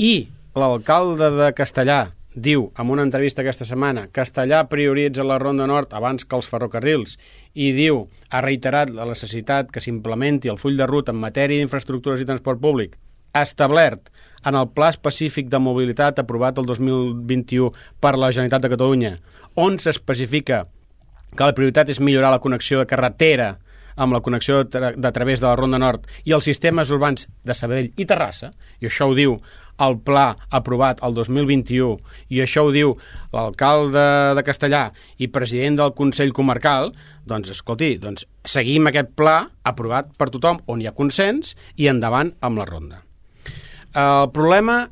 i l'alcalde de Castellà diu, en una entrevista aquesta setmana, Castellà prioritza la Ronda Nord abans que els ferrocarrils, i diu, ha reiterat la necessitat que s'implementi el full de ruta en matèria d'infraestructures i transport públic, establert en el Pla Específic de Mobilitat aprovat el dos mil vint-i-u per la Generalitat de Catalunya, on s'especifica que la prioritat és millorar la connexió de carretera amb la connexió de, tra de través de la Ronda Nord i els sistemes urbans de Sabadell i Terrassa, i això ho diu el pla aprovat el dos mil vint-i-u, i això ho diu l'alcalde de Castellà i president del Consell Comarcal, doncs, escolti, doncs, seguim aquest pla aprovat per tothom, on hi ha consens, i endavant amb la ronda. El problema,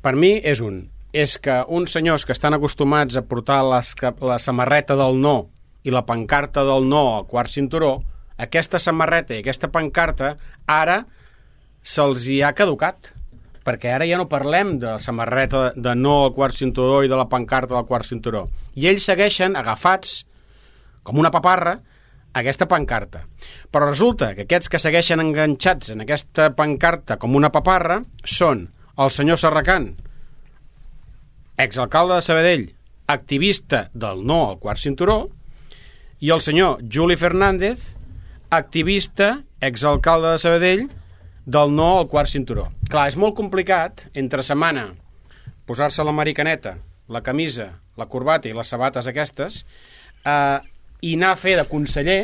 per mi, és un. És que uns senyors que estan acostumats a portar les, la samarreta del no i la pancarta del no al quart cinturó, aquesta samarreta i aquesta pancarta ara se'ls hi ha caducat, perquè ara ja no parlem de la samarreta de no al quart cinturó i de la pancarta del quart cinturó. I ells segueixen agafats, com una paparra, a aquesta pancarta. Però resulta que aquests que segueixen enganxats en aquesta pancarta com una paparra són el senyor Serracant, exalcalde de Sabadell, activista del no al quart cinturó, i el senyor Juli Fernández, activista, exalcalde de Sabadell, del no al quart cinturó. Clar, és molt complicat, entre setmana, posar-se la maricaneta, la camisa, la corbata i les sabates aquestes, eh, i anar a fer de conseller,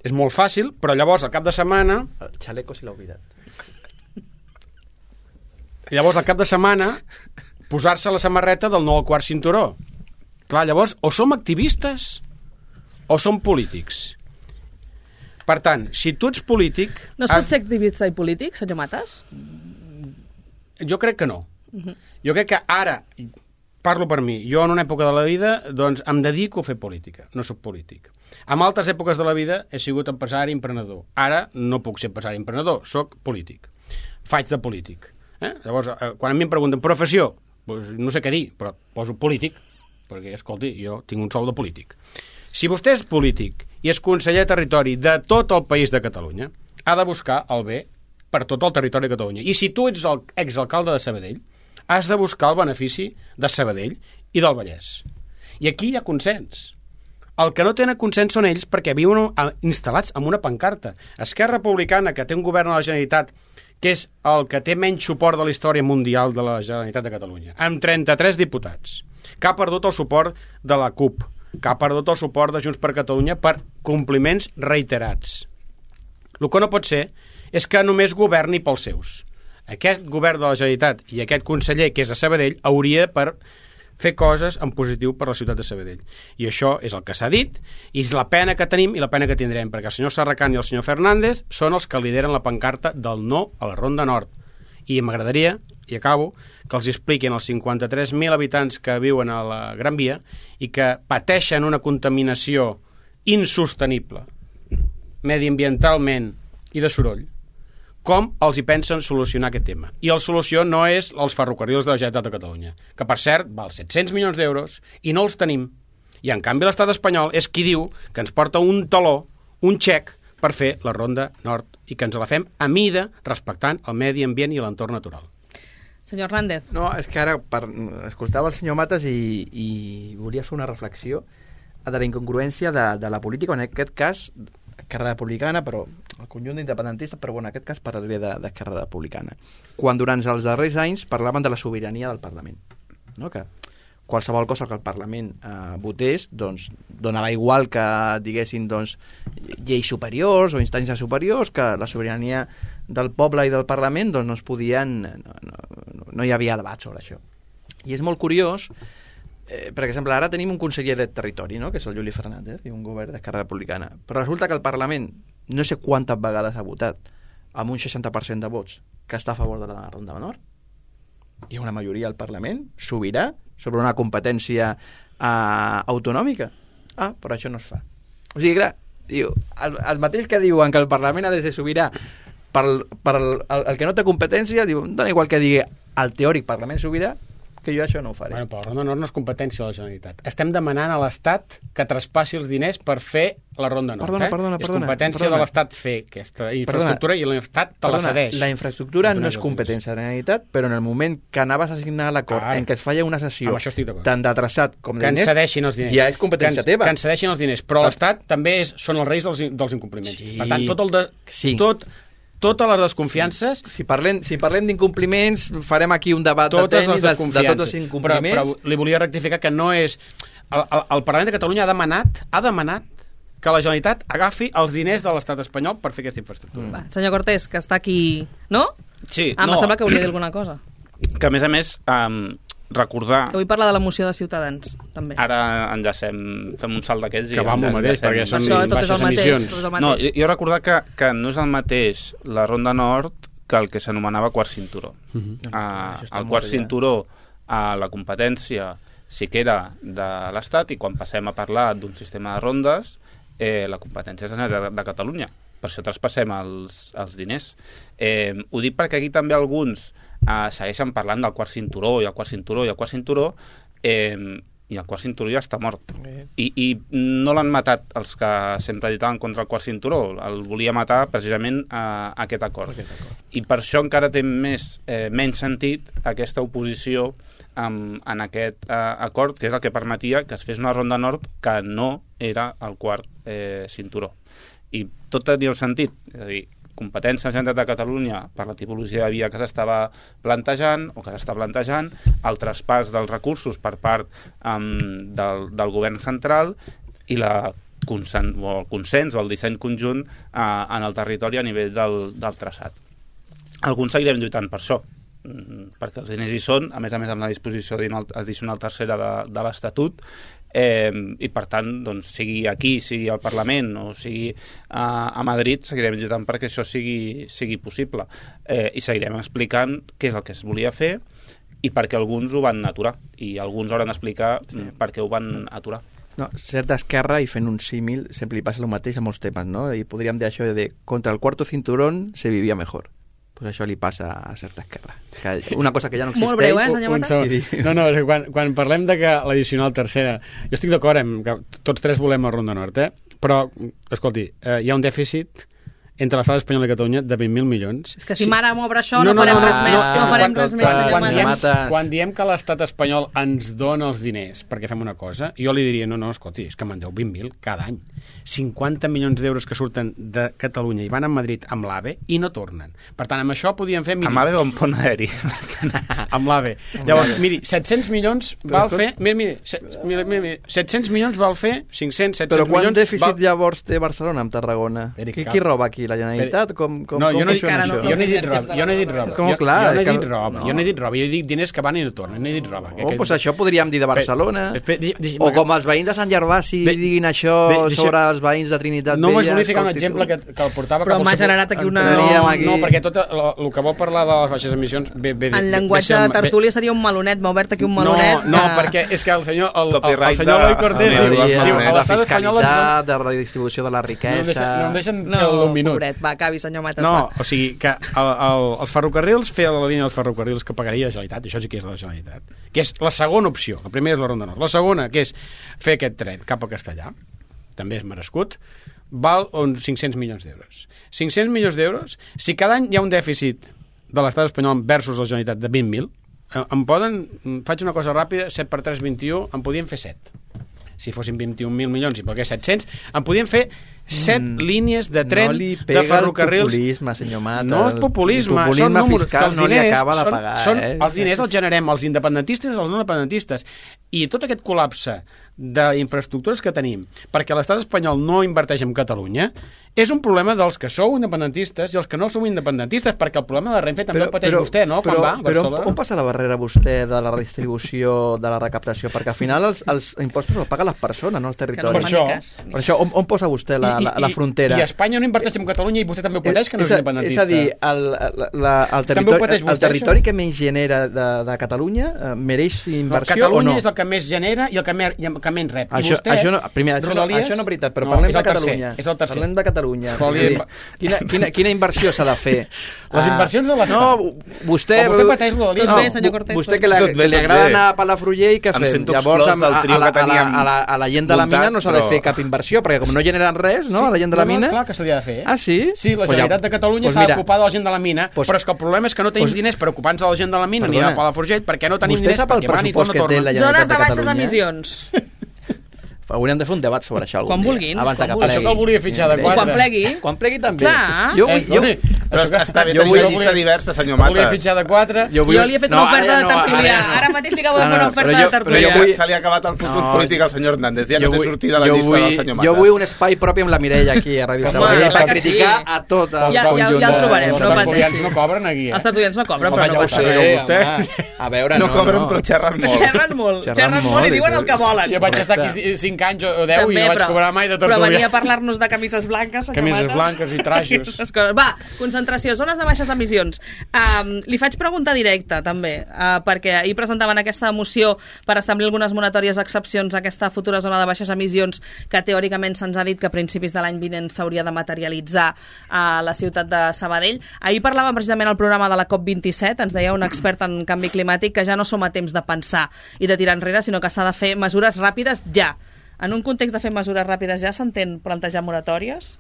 és molt fàcil, però llavors, al cap de setmana... El xaleco si l'ha oblidat. Llavors, al cap de setmana, posar-se la samarreta del no al quart cinturó. Clar, llavors, o som activistes o som polítics. Per tant, si tu ets polític... No es pot has... ser activista i polític, senyor Matas? Jo crec que no. Uh-huh. Jo crec que ara, parlo per mi, jo en una època de la vida doncs em dedico a fer política, no sóc polític. En altres èpoques de la vida he sigut empresari i emprenedor. Ara no puc ser empresari i emprenedor, sóc polític. Faig de polític. Eh? Llavors, quan a mi em pregunten professió, doncs no sé què dir, però poso polític, perquè, escolti, jo tinc un sou de polític. Si vostè és polític i és conseller de territori de tot el país de Catalunya, ha de buscar el bé per tot el territori de Catalunya. I si tu ets el exalcalde de Sabadell, has de buscar el benefici de Sabadell i del Vallès. I aquí hi ha consens. El que no tenen consens són ells perquè viuen instal·lats en una pancarta. Esquerra Republicana, que té un govern a la Generalitat que és el que té menys suport de la història mundial de la Generalitat de Catalunya, amb trenta-tres diputats, que ha perdut el suport de la CUP, que ha perdut el suport de Junts per Catalunya per compliments reiterats. El que no pot ser és que només governi pels seus. Aquest govern de la Generalitat i aquest conseller, que és de Sabadell, hauria per fer coses en positiu per la ciutat de Sabadell. I això és el que s'ha dit, i és la pena que tenim i la pena que tindrem, perquè el senyor Serracant i el senyor Fernández són els que lideren la pancarta del no a la Ronda Nord. I m'agradaria, i acabo, que els expliquin als cinquanta-tres mil habitants que viuen a la Gran Via i que pateixen una contaminació insostenible, mediambientalment i de soroll, com els hi pensen solucionar aquest tema. I la solució no és els ferrocarrils de la Generalitat de Catalunya, que per cert val set-cents milions d'euros i no els tenim. I en canvi l'estat espanyol és qui diu que ens porta un taló, un xec, per fer la Ronda Nord i que ens la fem a mida respectant el medi ambient i l'entorn natural. Senyor Hernández. No, és que ara per, escoltava el senyor Matas i, i volia fer una reflexió de la incongruència de, de la política, en aquest cas Esquerra Republicana, però el conjunt d'independentistes, però bueno, en aquest cas parlaré d'Esquerra Republicana. Quan durant els darrers anys parlaven de la sobirania del Parlament, no? Que qualsevol cosa que el Parlament eh, votés, doncs donava igual que diguessin doncs, lleis superiors o instàncies superiors, que la sobirania del poble i del Parlament doncs, no es podien, no, no, no hi havia debat sobre això. I és molt curiós, Eh, per exemple, ara tenim un conseller de territori, no? Que és el Juli Fernández, i un govern d'Esquerra Republicana. Però resulta que el Parlament no sé quantes vegades ha votat amb un seixanta per cent de vots que està a favor de la Ronda Nord. Hi ha una majoria al Parlament sobirà sobre una competència eh, autonòmica. Ah, però això no es fa. O sigui, clar, diu, el, el mateix que diuen que el Parlament ha de ser sobirà per, per el, el, el que no té competència, diu, dona igual que digui el teòric Parlament sobirà, que jo això no ho faré. Bueno, però la Ronda Nord no és competència de la Generalitat. Estem demanant a l'Estat que traspassi els diners per fer la Ronda Nord. Perdona, eh? perdona, és perdona. competència perdona. de l'Estat fer aquesta infraestructura perdona. I l'Estat te perdona, la cedeix. La infraestructura no, no és competència de la Generalitat, però en el moment que anaves a signar l'acord en què es feia una sessió tant de traçat com de que diners, ens cedeixin els diners. Ja és competència que ens, teva. Que ens cedeixin els diners, però l'Estat també és, són els reis dels, dels incompliments. Sí. Per tant, tot el de... Sí. Tot, totes les desconfiances... Si parlem, si parlem d'incompliments, farem aquí un debat de tenis de, de tots els incompliments. Però, però li volia rectificar que no és... El, el, el Parlament de Catalunya ha demanat, ha demanat que la Generalitat agafi els diners de l'estat espanyol per fer aquesta infraestructura. Mm. Va, senyor Cortés, que està aquí... No? Sí, ah, no. Em sembla que hauria de dir alguna cosa. Que, a més a més, um, recordar... Que vull parlar de la moció de Ciutadans, també. Ara enllacem, fem un salt d'aquests... Que va amb el mateix, perquè són Això, tot és baixes el mateix, emissions. tot és el mateix. No, jo, jo recordar que, que no és el mateix la Ronda Nord que el que s'anomenava quart cinturó. Uh -huh. uh, el quart cinturó, uh, la competència sí que era de l'Estat, i quan passem a parlar d'un sistema de rondes, eh, la competència és de, de Catalunya. Per això traspassem els, els diners. Eh, ho dic perquè aquí també alguns eh, segueixen parlant del quart cinturó, i el quart cinturó, i el quart cinturó, eh, i el quart cinturó ja està mort. I, i no l'han matat els que sempre lluitaven contra el quart cinturó, el volia matar precisament eh, aquest acord. Aquest acord. I per això encara té més, eh, menys sentit aquesta oposició en, en aquest eh, acord, que és el que permetia que es fes una ronda nord que no era el quart eh, cinturó. I tot tenia un sentit, és a dir, competència de la Generalitat de Catalunya per la tipologia de via que s'estava plantejant o que s'està plantejant, el traspàs dels recursos per part um, del, del govern central i la consen o el consens o el disseny conjunt uh, en el territori a nivell del, del traçat. Alguns seguirem lluitant per això, perquè els diners hi són, a més a més amb la disposició addicional tercera de, de l'Estatut, eh, i per tant, doncs, sigui aquí, sigui al Parlament o sigui a, a Madrid, seguirem lluitant perquè això sigui, sigui possible, eh, i seguirem explicant què és el que es volia fer i perquè alguns ho van aturar, i alguns hauran d'explicar sí. per què ho van aturar. No, ser d'esquerra i fent un símil sempre li passa el mateix a molts temes, no? I podríem dir això de contra el cuarto cinturón se vivia mejor. Pues això li passa a certa esquerra. Que una cosa que ja no existeix... Molt breu, eh, senyor Mata? No, no, quan, quan parlem de que l'addicional tercera... Jo estic d'acord amb que tots tres volem la Ronda Nord, eh? Però, escolti, eh, hi ha un dèficit entre l'estat espanyol i Catalunya de vint mil milions. És que si sí. Mare m'obre això no, no, no farem no, res no, més, no, no farem res més, senyor quan, diem, Mata. quan diem que l'estat espanyol ens dona els diners perquè fem una cosa, jo li diria, no, no, escolti, és que me'n deu vint mil cada any. cinquanta milions d'euros que surten de Catalunya i van a Madrid amb l'AVE i no tornen. Per tant, amb això podíem fer... Miri, amb l'AVE o amb pont aeri? Amb l'AVE. Llavors, miri, set-cents milions val fer... Mira, mira, mira, mira, set-cents milions val fer cinc-cents, set-cents milions... Però quant dèficit llavors té Barcelona amb Tarragona? Qui, qui roba aquí? La Generalitat? Com, com, no, com jo no, funciona no, això? jo no he dit roba. Jo no he dit roba. Com, jo, clar, jo no he que... dit roba. No. Jo no he dit roba. Jo dic diners que van i no tornen. No he dit roba. Oh, doncs això podríem dir de Barcelona. Pe, pe, pe, o com els veïns de Sant Gervasi de, diguin això de, de, sobre els veïns de Trinitat no Vella. No m'has volia ficar un exemple que, que el portava... Però m'ha generat aquí una... No, no, perquè tot el que vol parlar de les baixes emissions... Bé, bé, en llenguatge de tertúlia seria un malonet. M'ha obert aquí un malonet. No, no, perquè és que el senyor... El senyor Eloi Cortés diu... La fiscalitat, de redistribució de la riquesa... No em deixen fer un minut. Pobret, va, acabi, senyor Matas. No, o sigui, que el, el, els ferrocarrils, fer la línia dels ferrocarrils que pagaria la Generalitat, això sí que és la Generalitat, que és la segona opció. La primera és la Ronda Nord. La segona, que és fer aquest tren cap a Castellà, també és merescut, val uns cinc-cents milions d'euros. cinc-cents milions d'euros, si cada any hi ha un dèficit de l'estat espanyol versus la Generalitat de vint mil, em poden, faig una cosa ràpida, set per tres, vint-i-u, en podien fer set. Si fossin vint-i-un mil milions i perquè set-cents, en podien fer set mm, línies de tren no de ferrocarrils. El populisme, senyor Mata. No és populisme, el populisme són números fiscal que els no diners li acaba de són, pagar. Són, eh? Els diners els generem els independentistes i els no independentistes. I tot aquest col·lapse d'infraestructures que tenim perquè l'estat espanyol no inverteix en Catalunya és un problema dels que sou independentistes i els que no sou independentistes, perquè el problema de Renfe també però, el pateix però, vostè, no? Quan però, va a Barcelona. Però on passa la barrera vostè de la redistribució de la recaptació? Perquè al final els, els impostos els paguen les persones, no els territoris. Per això, per això on, on posa vostè la, la, la frontera? I, i Espanya no inverteix en Catalunya i vostè també ho pateix, que no és, és independentista. És a dir, el, la, el territori, el territori que menys genera de, de Catalunya eh, mereix inversió no, Catalunya o no? és el que més genera i el que, mer, i el que menys rep. Això, I vostè, això, no, primer, això, no, això no és veritat, però no, parlem de Catalunya. És el tercer. Parlem de Catalunya. Quina, quina, quina inversió s'ha de fer? Les inversions de l'estat. No, vostè... O vostè pateix Rodalies. Tot bé, senyor Cortés. Vostè que, la, que li agrada anar a Palafrugell, què fem? Llavors, a, a, a, la, a, la, a la gent de la mina no s'ha de fer cap inversió, perquè com no generen res, no?, a la gent de la mina... Clar que se li ha de fer. Ah, sí? Sí, la Generalitat de Catalunya s'ha d'ocupar de la gent de la mina, però és que el problema és que no tenim diners per ocupar-nos de la gent de la mina ni a Palafrugell, perquè no tenim diners perquè van i tot no tornen. Zones de baixes emissions. Hauríem de fer un debat sobre això algun quan dia. Vulguin, abans quan que vulguin. Això que el volia fitxar de quatre. Quan plegui. Quan plegui també. Clar. Jo, vull, jo, Però està, està bé Jo tenir vull- una llista diversa, senyor Volia Matas. fitxar de quatre. Jo li he fet una oferta ara de no, tertúlia. ara no. Ara mateix li acabo de No, fer una no, oferta però de jo- Però tertúlia. ja vull- se li ha acabat el futur No, polític al senyor Hernández. Ja jo no té vull- sortida la jo llista vull, del senyor Matas. Jo vull un espai propi amb la Mireia aquí a Ràdio Home, Sabadell clar per que criticar sí. a tot el Ja- ja- conjunt ja el de- trobarem, Els no tertulians pateixi. no cobren aquí, eh? Els tertulians no cobren, Home, però ja no ho passa sé, res. vostè. Home, a veure, No no, cobren, no. però xerren molt. Xerren molt, Xerren xerren molt molt, i diuen és- el que volen. Jo vaig estar Correcte. aquí cinc anys o deu i També, no vaig però- cobrar mai de Però tertúlia. venia a parlar-nos de camises blanques, senyor Camises Matas. blanques i trajos. Aquestes coses. Va, concentració, zones de baixes emissions. Um, li faig pregunta directa, també, uh, perquè ahir presentaven aquesta moció per establir algunes moratòries excepcions a aquesta futura zona de baixes emissions que teòricament se'ns ha dit que a principis de l'any vinent s'hauria de materialitzar a la ciutat de Sabadell. Ahir parlàvem precisament al programa de la COP vint-i-set, ens deia un expert en canvi climàtic que ja no som a temps de pensar i de tirar enrere, sinó que s'ha de fer mesures ràpides ja. En un context de fer mesures ràpides ja s'entén plantejar moratòries?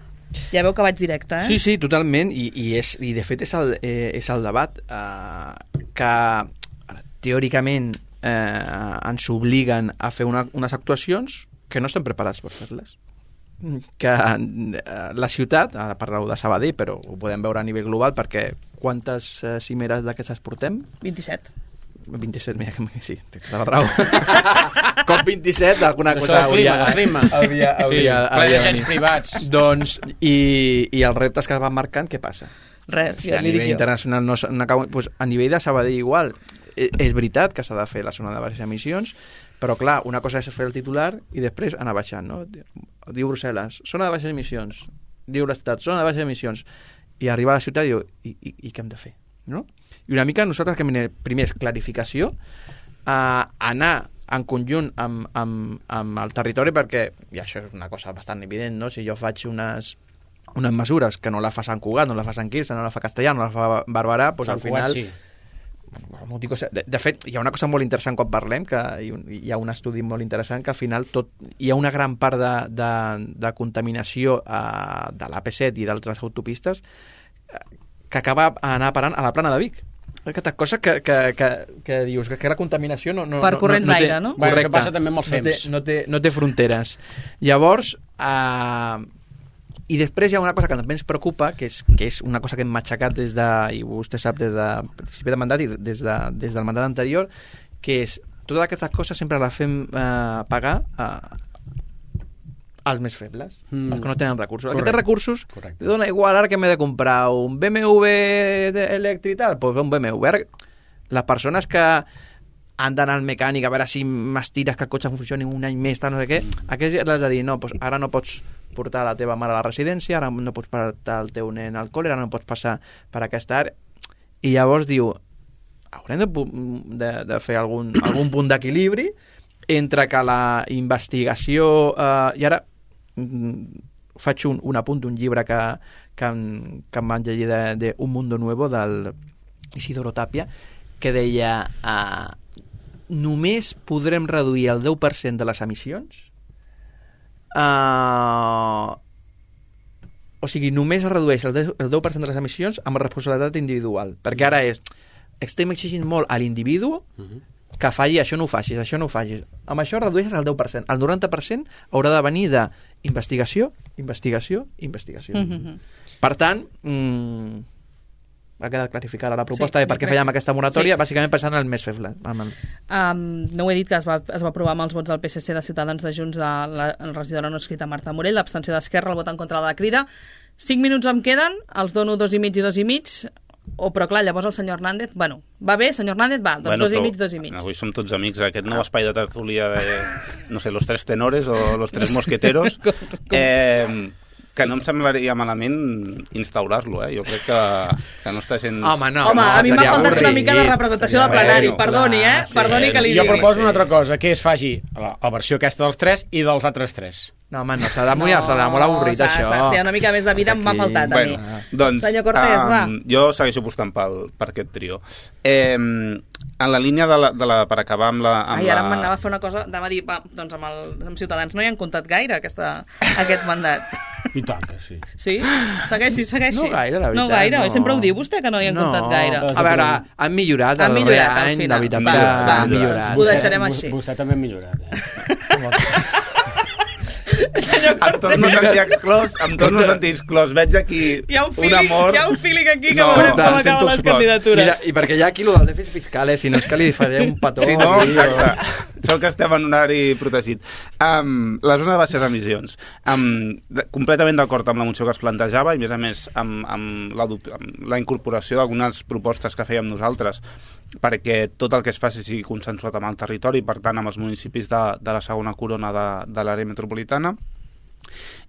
Ja veu que vaig directe, eh? Sí, sí, totalment, i, i, és, i de fet és el, eh, és el debat eh, que ara, teòricament eh, ens obliguen a fer una, unes actuacions que no estem preparats per fer-les. Que eh, la ciutat, ara parleu de Sabadell, però ho podem veure a nivell global, perquè quantes eh, cimeres d'aquestes portem? vint-i-set. vint-i-set, mira, que sí, té tota la raó. Com vint-i-set, alguna Això cosa del clima, hauria, del clima. hauria, hauria, Sí, hauria de planejats venir. privats. Doncs, i, i els reptes que es van marcant, què passa? Res, Si ja a li dic nivell jo. internacional no, s- no acabo, doncs a nivell de Sabadell igual. És, és veritat que s'ha de fer la zona de baixes emissions, però clar, una cosa és fer el titular i després anar baixant, no? Diu Brussel·les, zona de baixes emissions. Diu l'Estat, zona de baixes emissions. I arribar a la ciutat i diu, i, i, i què hem de fer? No? I una mica nosaltres que hem- primer és clarificació, a anar en conjunt amb, amb, amb el territori, perquè, i això és una cosa bastant evident, no? Si jo faig unes unes mesures que no la fa Sant Cugat, no la fa Sant Quirze, no la fa Castellà, no la fa Barberà, doncs al Sant Cugat, final... sí. De, de fet, hi ha una cosa molt interessant quan parlem, que hi, hi ha un estudi molt interessant, que al final tot, hi ha una gran part de, de, de contaminació eh, de l'A P set i d'altres autopistes eh, que acaba anar parant a la plana de Vic. Aquestes coses que, que, que, que dius que la contaminació no, no, Per no, corrents no, no té, d'aire, no? Bueno, correcte, això passa també amb els no té, fems. no, té, no té fronteres. Llavors, eh, i després hi ha una cosa que també ens preocupa, que és, que és una cosa que hem matxacat des de, i vostè sap, des de principi de mandat i des, de, des del mandat anterior, que és, totes aquestes coses sempre les fem eh, pagar eh, als més febles, mm. els que no tenen recursos. Correcte. Aquests recursos, Correcte. li dona igual ara que m'he de comprar un B M W elèctric i tal, doncs un B M W. Ara, les persones que han d'anar al mecànic a veure si m'estires que el cotxe funcioni un any més, tal, no sé què, mm. aquests ja l'has de dir, no, doncs ara no pots portar la teva mare a la residència, ara no pots portar el teu nen al col·le, ara no pots passar per aquesta àrea. I llavors diu, haurem de, de, de fer algun, algun punt d'equilibri entre que la investigació... Eh, I ara mm, faig un, un apunt d'un llibre que, que, em, que em van llegir de, de Un Mundo Nuevo, del Isidoro Tapia, que deia eh, només podrem reduir el deu per cent de les emissions. Uh, o sigui, només es redueix el deu per cent de les emissions amb responsabilitat individual, perquè ara és estem exigint molt a l'individu que falli, això no ho facis, això no ho facis. Amb això redueixes el deu per cent. El noranta per cent haurà de venir d'investigació, investigació, investigació. Mhm. Per tant, mm, ha quedat clarificada la proposta Sí, de per què crec- fèiem aquesta moratòria, sí. bàsicament pensant en el més feble. En el... Um, no ho he dit, que es va, es va aprovar amb els vots del P S C, de Ciutadans, de Junts, de la, la regidora no escrita Marta Morell, l'abstenció d'Esquerra, el vot en contra de la Crida. Cinc minuts em queden, els dono dos i mig i dos i mig, o però clar, llavors el senyor Hernández, bueno, va bé, senyor Hernández, va, doncs Bueno, dos i però mig, dos i mig. Avui som tots amics, aquest nou espai de tertúlia de, no sé, los tres tenores o los tres mosqueteros, eh, que no em semblaria malament instaurar-lo, eh? Jo crec que, que no està sent... Home, no. Home, a mi m'ha seria faltat una avorrit. mica de representació de plenari, Bueno, perdoni, eh? clar, sí, Perdoni que li Jo digui. proposo sí. una altra cosa, que es faci la, la versió aquesta dels tres i dels altres tres. No, home, no, s'ha de mullar, s'ha de molt avorrit, s'ha- això. s'ha de ser una mica més de vida, m'ha Aquí. faltat a mi. Bueno, doncs, Senyor Cortés, um, va. Jo segueixo apostant pel, per aquest trio. Eh, en la línia de la, de la, per acabar amb la... Amb Ai, ara la... m'anava a fer una cosa, anava a dir, va, doncs amb, el, amb Ciutadans no hi han comptat gaire aquesta, aquest mandat. I tant que sí. Sí? Segueixi, segueixi. No gaire, la veritat. No gaire, no. sempre ho diu vostè, que no hi han no. comptat gaire. A veure, han millorat Han el millorat, darrer al any, final. la veritat Va, que va, han millorat. ho deixarem Vostè- així. Vostè també ha millorat. Eh? Em torno a sentir exclòs, em torno a sentir exclòs. Veig aquí hi ha un feeling, un amor... Hi ha un feeling aquí que No, veurem com em acaben sento les exclòs. candidatures. Mira, i perquè hi ha aquí lo del dèficit fiscal, eh? Si no és que li faré un petó. Si no, aquí, o- exacte. Sort que estem en un horari protegit. Um, la zona de baixes emissions. Um, de, completament d'acord amb la moció que es plantejava i, a més a més, amb, amb, la, amb la incorporació d'algunes propostes que fèiem nosaltres perquè tot el que es faci sigui consensuat amb el territori, per tant, amb els municipis de, de la segona corona de, de l'àrea metropolitana.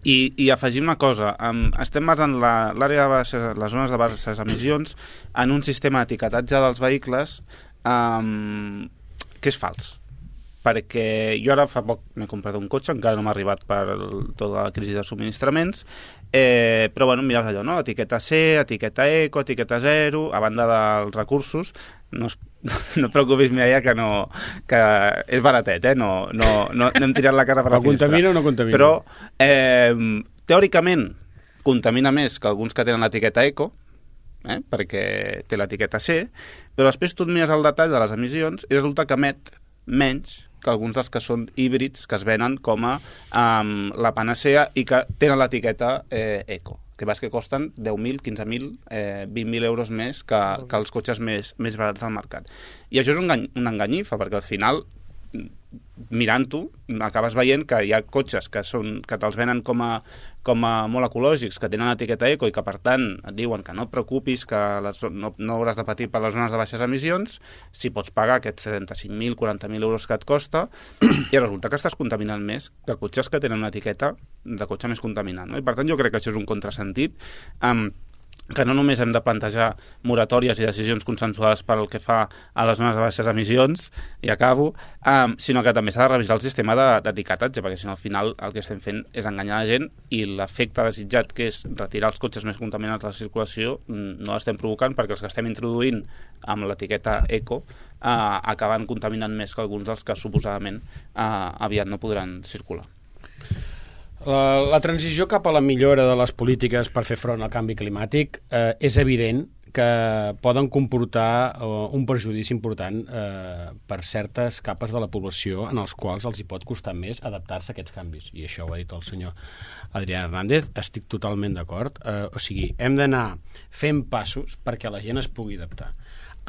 I, i afegim una cosa, um, estem basant la, l'àrea de baixes, les zones de baixes emissions en un sistema d'etiquetatge dels vehicles um, que és fals, perquè jo ara fa poc m'he comprat un cotxe, encara no m'ha arribat per el, tota la crisi de subministraments, eh, però bueno, mires allò, no? Etiqueta C, etiqueta eco, etiqueta zero, a banda dels recursos, no, es, no et preocupis, Mireia, que, no, que és baratet, eh? no, no, no, no hem tirat la cara per la Però finestra. contamina o no contamina? Però, eh, teòricament, contamina més que alguns que tenen l'etiqueta eco, eh? perquè té l'etiqueta C, però després tu et mires el detall de les emissions i resulta que emet menys que alguns dels que són híbrids que es venen com a um, la panacea i que tenen l'etiqueta eh, eco, que vas que costen deu mil, quinze mil, eh, vint mil euros més que, que els cotxes més, més barats del mercat. I això és un, engany, una enganyifa, perquè al final, mirant-ho, acabes veient que hi ha cotxes que, són, que te'ls venen com a, com a molt ecològics, que tenen etiqueta eco i que, per tant, et diuen que no et preocupis, que les, no, no hauràs de patir per les zones de baixes emissions, si pots pagar aquests trenta-cinc mil, quaranta mil euros que et costa, i resulta que estàs contaminant més que cotxes que tenen una etiqueta de cotxe més contaminant. No? I, per tant, jo crec que això és un contrasentit, um, que no només hem de plantejar moratòries i decisions consensuades per el que fa a les zones de baixes emissions, i acabo, um, sinó que també s'ha de revisar el sistema de, d'etiquetatge, perquè si no al final el que estem fent és enganyar la gent i l'efecte desitjat, que és retirar els cotxes més contaminants de la circulació, no l'estem provocant perquè els que estem introduint amb l'etiqueta eco uh, acaben contaminant més que alguns dels que suposadament uh, aviat no podran circular. La, la transició cap a la millora de les polítiques per fer front al canvi climàtic eh, és evident que poden comportar eh, un perjudici important eh, per certes capes de la població en els quals els hi pot costar més adaptar-se a aquests canvis. I això ho ha dit el senyor Adrià Hernández, estic totalment d'acord. Eh, o sigui, hem d'anar fent passos perquè la gent es pugui adaptar.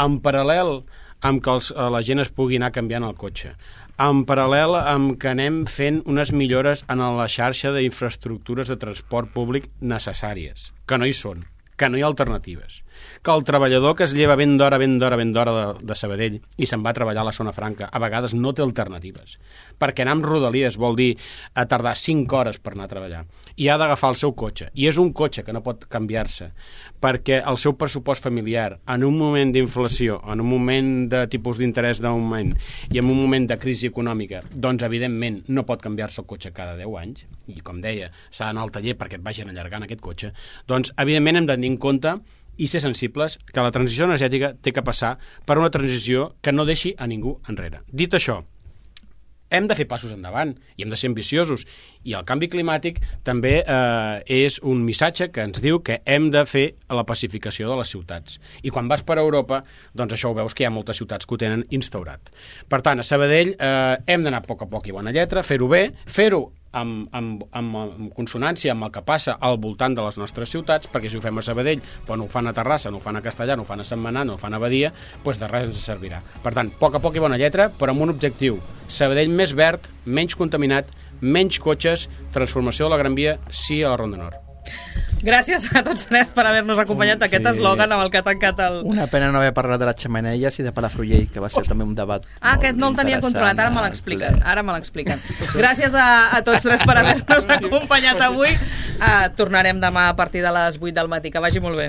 En paral·lel amb que els, la gent es pugui anar canviant el cotxe, en paral·lel amb que anem fent unes millores en la xarxa d'infraestructures de transport públic necessàries, que no hi són, que no hi ha alternatives, que el treballador que es lleva ben d'hora, ben d'hora, ben d'hora de, de Sabadell i se'n va a treballar a la zona franca, a vegades no té alternatives, perquè anar amb rodalies vol dir a tardar cinc hores per anar a treballar, i ha d'agafar el seu cotxe, i és un cotxe que no pot canviar-se, perquè el seu pressupost familiar, en un moment d'inflació, en un moment de tipus d'interès d'augment, i en un moment de crisi econòmica, doncs evidentment no pot canviar-se el cotxe cada deu anys, i com deia, s'ha d'anar al taller perquè et vagin allargant aquest cotxe, doncs evidentment hem de tenir en compte i ser sensibles que la transició energètica té que passar per una transició que no deixi a ningú enrere. Dit això, hem de fer passos endavant i hem de ser ambiciosos, i el canvi climàtic també eh, és un missatge que ens diu que hem de fer la pacificació de les ciutats, i quan vas per Europa doncs això ho veus que hi ha moltes ciutats que ho tenen instaurat. Per tant, a Sabadell eh, hem d'anar a poc a poc i bona lletra, fer-ho bé, fer-ho Amb, amb, amb, amb consonància amb el que passa al voltant de les nostres ciutats, perquè si ho fem a Sabadell, però no ho fan a Terrassa, no ho fan a Castellà, no ho fan a Sentmenat, no ho fan a Badia, doncs de res ens servirà. Per tant, a poc a poc i bona lletra, però amb un objectiu: Sabadell més verd, menys contaminat, menys cotxes, transformació de la Gran Via, sí a la Ronda Nord. Gràcies a tots tres per haver-nos acompanyat, aquest Sí. eslògan amb el que ha tancat el... Una pena no haver parlat de les xemeneies i de Palafrugell, que va ser també un debat Ah, aquest no el tenia controlat, ara me l'expliquen. Ara me l'expliquen. Gràcies a, a tots tres per haver-nos acompanyat avui. Uh, tornarem demà a partir de les vuit del matí. Que vagi molt bé.